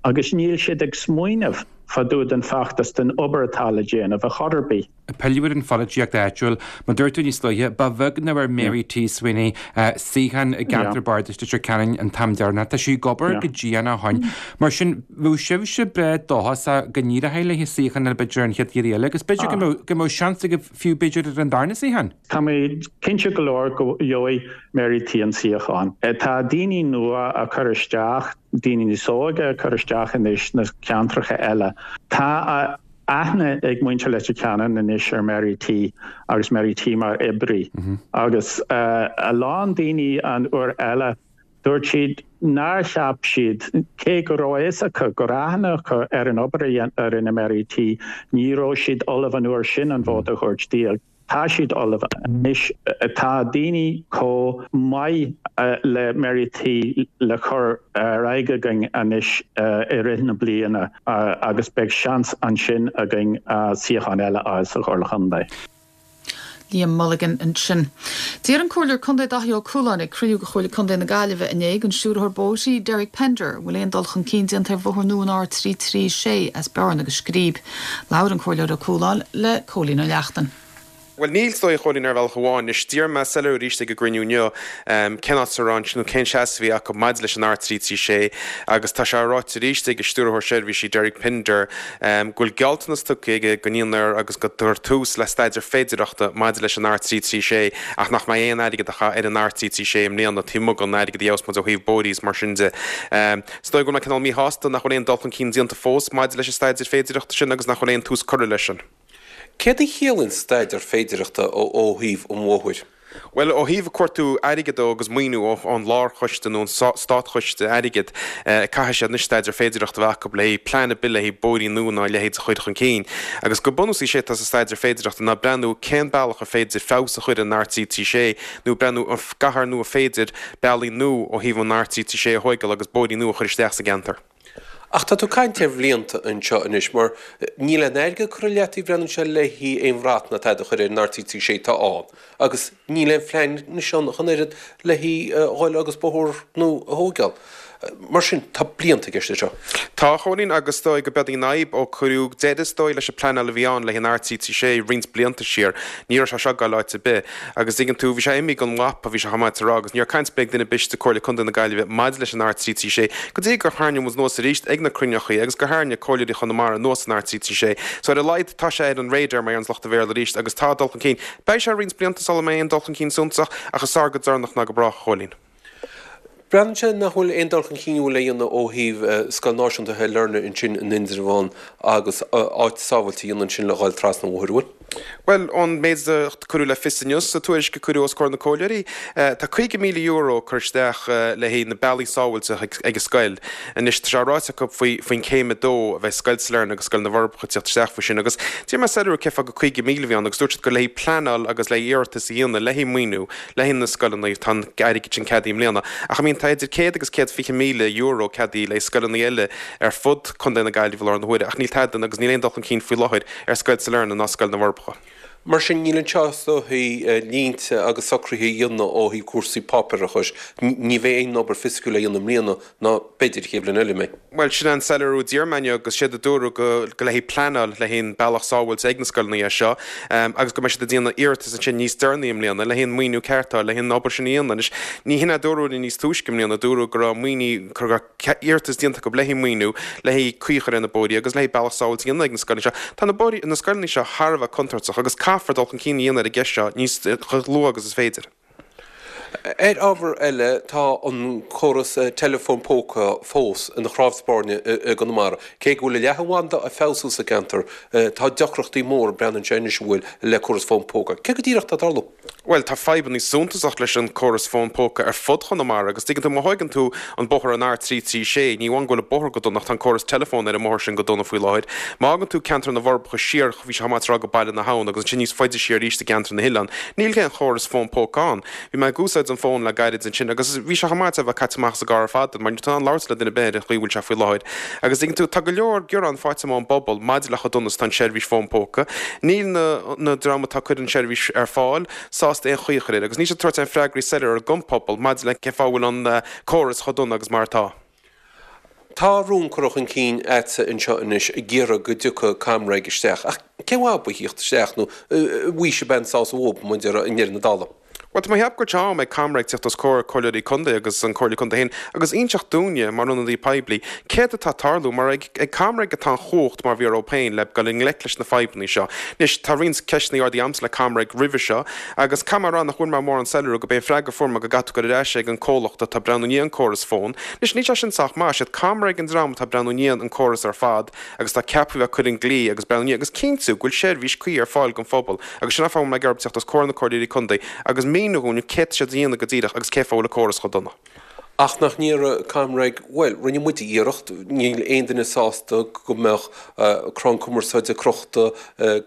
agus níl siad ag smaoineamh fá dtaobh den feachtas, den obair atá le déanamh a chor ar bith. Pilleadh ar an pholaitíocht áitiúil. Mar dúirt tú níos luaithe, ba bheag nach bhfuair Mary T. Sweeney suíochán i gceantar bardais Leitir Ceanainn an t-am deireanach. Tá sí ag obair go dian ó shoin. Mar sin, bheadh sibhse breá dóchasach go n-éireoidh léi suíochán eile b'fhéidir an chéad iarraidh eile agus b'fhéidir go mbeadh go mbeadh seans agaibh fiú b'fhéidir ar an darna suíochán. Tá mé cinnte go leor go gheobhaidh Mary T. an suíochán. Tá daoine nua á cur isteach, daoine níos óige á cur isteach anois sna ceantracha eile. Tá aithne ag muintir Leitir Ceanainn anois ar Mary T agus Mary T mar oibrí agus a lán daoine an uair eile dúirt siad nár cheap siad, cé go raibh a fhios acu, go raibh aithne acu ar an obair a rinne Mary T, ní raibh siad ullamh an uair sin an vóta a thabhairt di. Tá siad ullamh anois. Tá daoine chomh maith le Mary T le cur ar aghaidh againn anois i rith na bliana agus beidh seans ansin againn suíochán eile a fháil sa Chomhairle Chontae. Liam Mulligan ansin. D'iarr an Comhairleoir Contae Daithí Ó Cualáin ag cruinniú de Chomhairle Contae na Gaillimhe inné den Stiúrthóir Bóithre, Derek Pender, an bhfuil aon dul chun cinn déanta ar bhóthar nua an R336 as Bearna go Scríb. Labhair an Comhairleoir Ó Cualáin le Cóilín Ó Neachtain. Bhuel, níl, is dóigh, a Chóilín, ar bhealach amháin. Anois, d'iarr mé soiléiriú arís ag an gcruinniú inniu cén áit a raibh nó cén seasamh a bhí acu maidir leis an R336 agus tá sé ráite arís ag an Stiúrthóir Seirbhísí Derek Pinder go bhfuil gealltanas tugtha aige don DNR agus go gcuirfear tús le staidéar féidearthachta maidir leis an R336 ach nach mbeidh aon airgead á chaitheamh ar an R336 i mbliana taobh amuigh den airgead a gheobhas muid ó thaobh bóithrí is mar sin de. Is dóigh go bhfuil mé cineál míshásta nach bhfuil aon dul chun cinn déanta fós maidir leis an staidéar féidearthachta sin agus nach bhfuil aon tús curtha leis sin. Céard a chiallaíonn staidéar féidearthachta ó thaobh an bhóthair? Bhuel, ó thaobh cuartú airgid dó agus maoiniú ón lárchoiste nó an státchoiste airgid, caithfidh siad anois staidéar féidearthachta a bheith acu le haghaidh plean ar bith le haghaidh bóithrín nua ná a leithéid a chur chun cinn. Agus go bunúsach is é atá sa staidéar féidearthachta ná breathnú cén bealach ar féidir feabhas a chur ar an R336 nó breathnú an gcaithfear nó an féidir bealaí nua ó thaobh an R336 a thóigeáil agus bóithrí nua a chur isteach sa gceantar. Ach tá tú ag caint ar bhlianta anseo anois mar níl aon airgead curtha i leataobh breathnaíonn sé le haghaidh aon bhrat ná tada a chur ar an R336 atá ann agus níl aon phlean anois ann ach an oiread le haghaidh dhul agus bóthar nua a thóigeáil. Mar sin, tá blianta i gceist anseo. Tá, a Chóilín, agus is dóigh go b'é an fhadhb ó cuireadh deireadh is dóigh leis an pleanáil a bhí ann le haghaidh an R336 roinnt blianta siar, ní raibh sé seo ag gabháil áit ar bith. Agus tuigeann tú, bhí sé imithe den mhapa, bhí sé chomh maith a rá, agus ní raibh caint ar bith ag duine ar bith istigh i Comhairle Contae na Gaillimhe maidir leis an R336 go dtí gur tharraing muid anuas arís ag na cruinneochaí agus gur tharraing Comhairleoirí Chonamara anuas an R336. So ar a laghad tá sé ar an radar mar a deireanns lucht an Bhéarla arís agus tá dul chun cinn. Beidh sé roinnt blianta sula mbeidh aon dul chun cinn suntasach ach is fearr go deireanach ná go brách, a Chóilín. Breathnaíonn sé nach bhfuil aon dul chun cinn a bhfuil le dhéanamh ó thaobh Scoil Náisiúnta Shailearna ansin in Indreabhán agus áit sábhailte a dhéanamh ansin le dhul trasna an bhóthair, an bhfuil? Bhuel, ón méid a cuireadh le fios inniu sa tuairisc a cuireadh os comhair na comhairleoirí, tá €50,000 curtha isteach le haghaidh na bealaí sábhailte ag an scoil. Anois, tá sé ráite acu faoi faoin céim 2 a bheidh Scoil Sailearna agus Scoil na bhForbacha ag teacht isteach faoi sin agus d'iarr mé soiléiriú cén fáth gur 50,000 a bhí ann agus dúirt siad gur le haghaidh pleanáil agus le haghaidh iarratas a dhéanamh le haghaidh maoiniú le haghaidh na scoileanna, tá an airgead sin ceadaithe i mbliana. Ach I mean tá idir €100 agus €120,000 ceadaithe le haghaidh scoileanna eile ar fud Contae na Gaillimhe i láthair na huaire ach níl tada agus níl aon dul chun cinn faoi láthair ar Scoil Sailearna ná Scoil na bhForbacha. Mar sin, níl anseo is dóichí línte agus socruithe a dhéanamh ó thaobh cúrsaí páipéarachais. Ní bheidh aon obair fisiciúil le dhéanamh i mbliana ná b'fhéidir an chéad bhliain eile, an mbeidh? Bhuel, sin an soiléiriú a d'iarr mé inniu agus séard a dúradh go le haghaidh pleanáil le haghaidh an bealach sábháilte ag na scoileanna é seo agus go mbeidh siad ag déanamh iarratas ansin níos deireanaí i mbliana le haghaidh an maoiniú ceart a fháil le haghaidh an obair sin a dhéanamh. Anois, ní hin a dúradh linn níos túisce i mbliana, dúradh go raibh maoiniú, go raibh iarratas déanta acu le haghaidh maoiniú le haghaidh caoi a chur ar na bóithrí agus le haghaidh bealach sábháilte a dhéanamh ag na scoileanna seo. Tá na bóithrí, na scoileanna seo thar a bheith contúirteach agus caithfear dul chun cinn a dhéanamh ar an gceist seo níos, chomh luath agus is féidir. Ar ábhar eile, tá an córas teileafóin póca fós ina chnámh spairne i gConamara. Cé go bhfuil an leathanbhanda á feabhsú sa gceantar, tá deacrachtaí móra, breathnaíonn sé anois, an bhfuil, le córas fón póca. Cé go díreach atá ag tarlú? Bhuel, tá fadhbanna suntasach leis an córas fón póca ar fud Chonamara agus tuigeann tú, má thóigeann tú an bóthar an R336, ní amháin go bhfuil an bóthar go dona ach tá an córas teileafóin ar an mbóthar sin go dona faoi láthair. Má fhágann tú ceantar na bhForbacha siar, bhí sé chomh maith tráth go Baile na hAbhann agus ansin níos faide siar arís i gceantar na hOileán. Níl aon chóras fón póca ann. Bhí mé ag úsáid an fón le gairid ansin agus bhí sé chomh maith a bheith caite amach as an gcarr ar fad mar níl tú in ann labhairt le duine ar bith ar an chaoi a bhfuil sé faoi láthair. Agus tuigeann tú, tá go leor gearán faighte ón bpobal maidir le chomh dona is atá an seirbhís fón póca. Níl na na dream atá ag cur an seirbhís ar fáil sásta aon chaoi a chur air agus níl siad ag tabhairt aon freagraí soiléir don phobal maidir le cén fáth a bhfuil an córas chomh dona agus mar atá. Tá rún curtha chun cinn a'dsa anseo anois ag iarraidh go dtiocfaidh ComReg isteach, ach cén mhaith ar bith a thíocht isteach nó an bhfaighidh sibh aon sásamh uathu, mar a déarfá, i ndeireadh na dála? Bhuel, tá mé ag ceapadh go bhfuil sé am ag ComReg tíocht os comhair comhairleoirí contae agus an Comhairle Contae féin agus inseacht dúinne, mar ionadaí poiblí, céard atá ag tarlú, mar ag ComReg atá an chumhacht, mar bhí orthu féin, le dul i ngleic leis na fadhbanna seo. Anois, tá roinnt ceisteanna ardaithe a'msa le ComReg roimhe seo, Agus caithfidh mé a rá nach bhfuair mé mórán soiléiriú, gurb é an freagra a fuair mé go gcaithfidh tú dul ar ais ag an comhlacht atá ag breathnú i ndiaidh an córas fón. Anois, níl sé sin sách maith. Siad ComReg an dream atá ag breathnú i ndiaidh an córas ar fad agus atá ceaptha a bheith ag cur an glao agus breathnú i ndiaidh agus cinntiú go bhfuil seirbhís cuí ar fáil don phobal agus sin an fáth a bhfuil mé ag iarraidh teacht os comhair na comhairleoirí contae agus míniú dhúinn céard tá siad a dhéanamh go díreach agus cén fáth a bhfuil an córas chomh dona. Ach nach ndéarfadh ComReg, bhuel, rinne muid iarracht, níl aon duine sásta go mbeadh crann cumarsáide crochta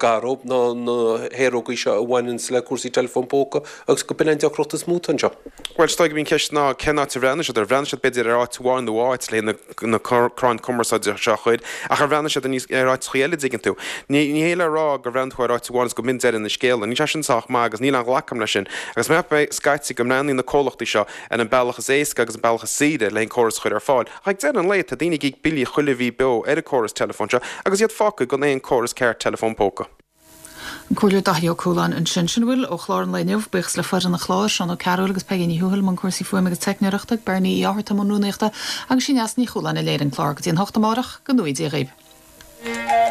gar dóibh, ná na haerógaí seo a bhaineanns le cúrsaí teileafón póca, agus go b'in an deacracht is mó atá anseo. Bhuel, is dóigh gurb í an cheist ná cén áit a bhreathnaigh siad air. Bhreathnaigh siad b'fhéidir ar áit amháin nó áit le na crainn cumarsáide seo a chur, ach ar bhreathnaigh siad ar áiteachaí eile, dtuigeann tú. Ní hé le rá gur bhreathnaigh tú ar áit amháin agus go mb'in deireadh na scéala. Níl sé sin sách maith agus níl aon ghlacadh agam leis sin. Agus mheas mé scaití go mbreathnaíonn na comhlachtaí seo ar an bealach is éasca agus an bealach is saoire le an córas a chur ar fáil. Ach ag deireadh an lae, tá daoine ag íoc billí chuile mhí beo ar an córas teileafóin seo agus iad fágtha gan aon córas ceart teileafón póca. An Comhairleoir Daithí Ó Cualáin ansin. Sin a bhfuil ó chlár an lae inniu. Buíochas le foireann an chláir, Seán Ó Cearúil agus Peigí Ní Thuathail i mbun cúrsaí fuaime agus teicneoireachta, Bernie Uí Fhátharta i mbun rúnaíochta agus sí Neasa Ní Chualáin a léirigh an clár. Go dtí an hocht amárach, go ngnóthaí Dia dhaoibh.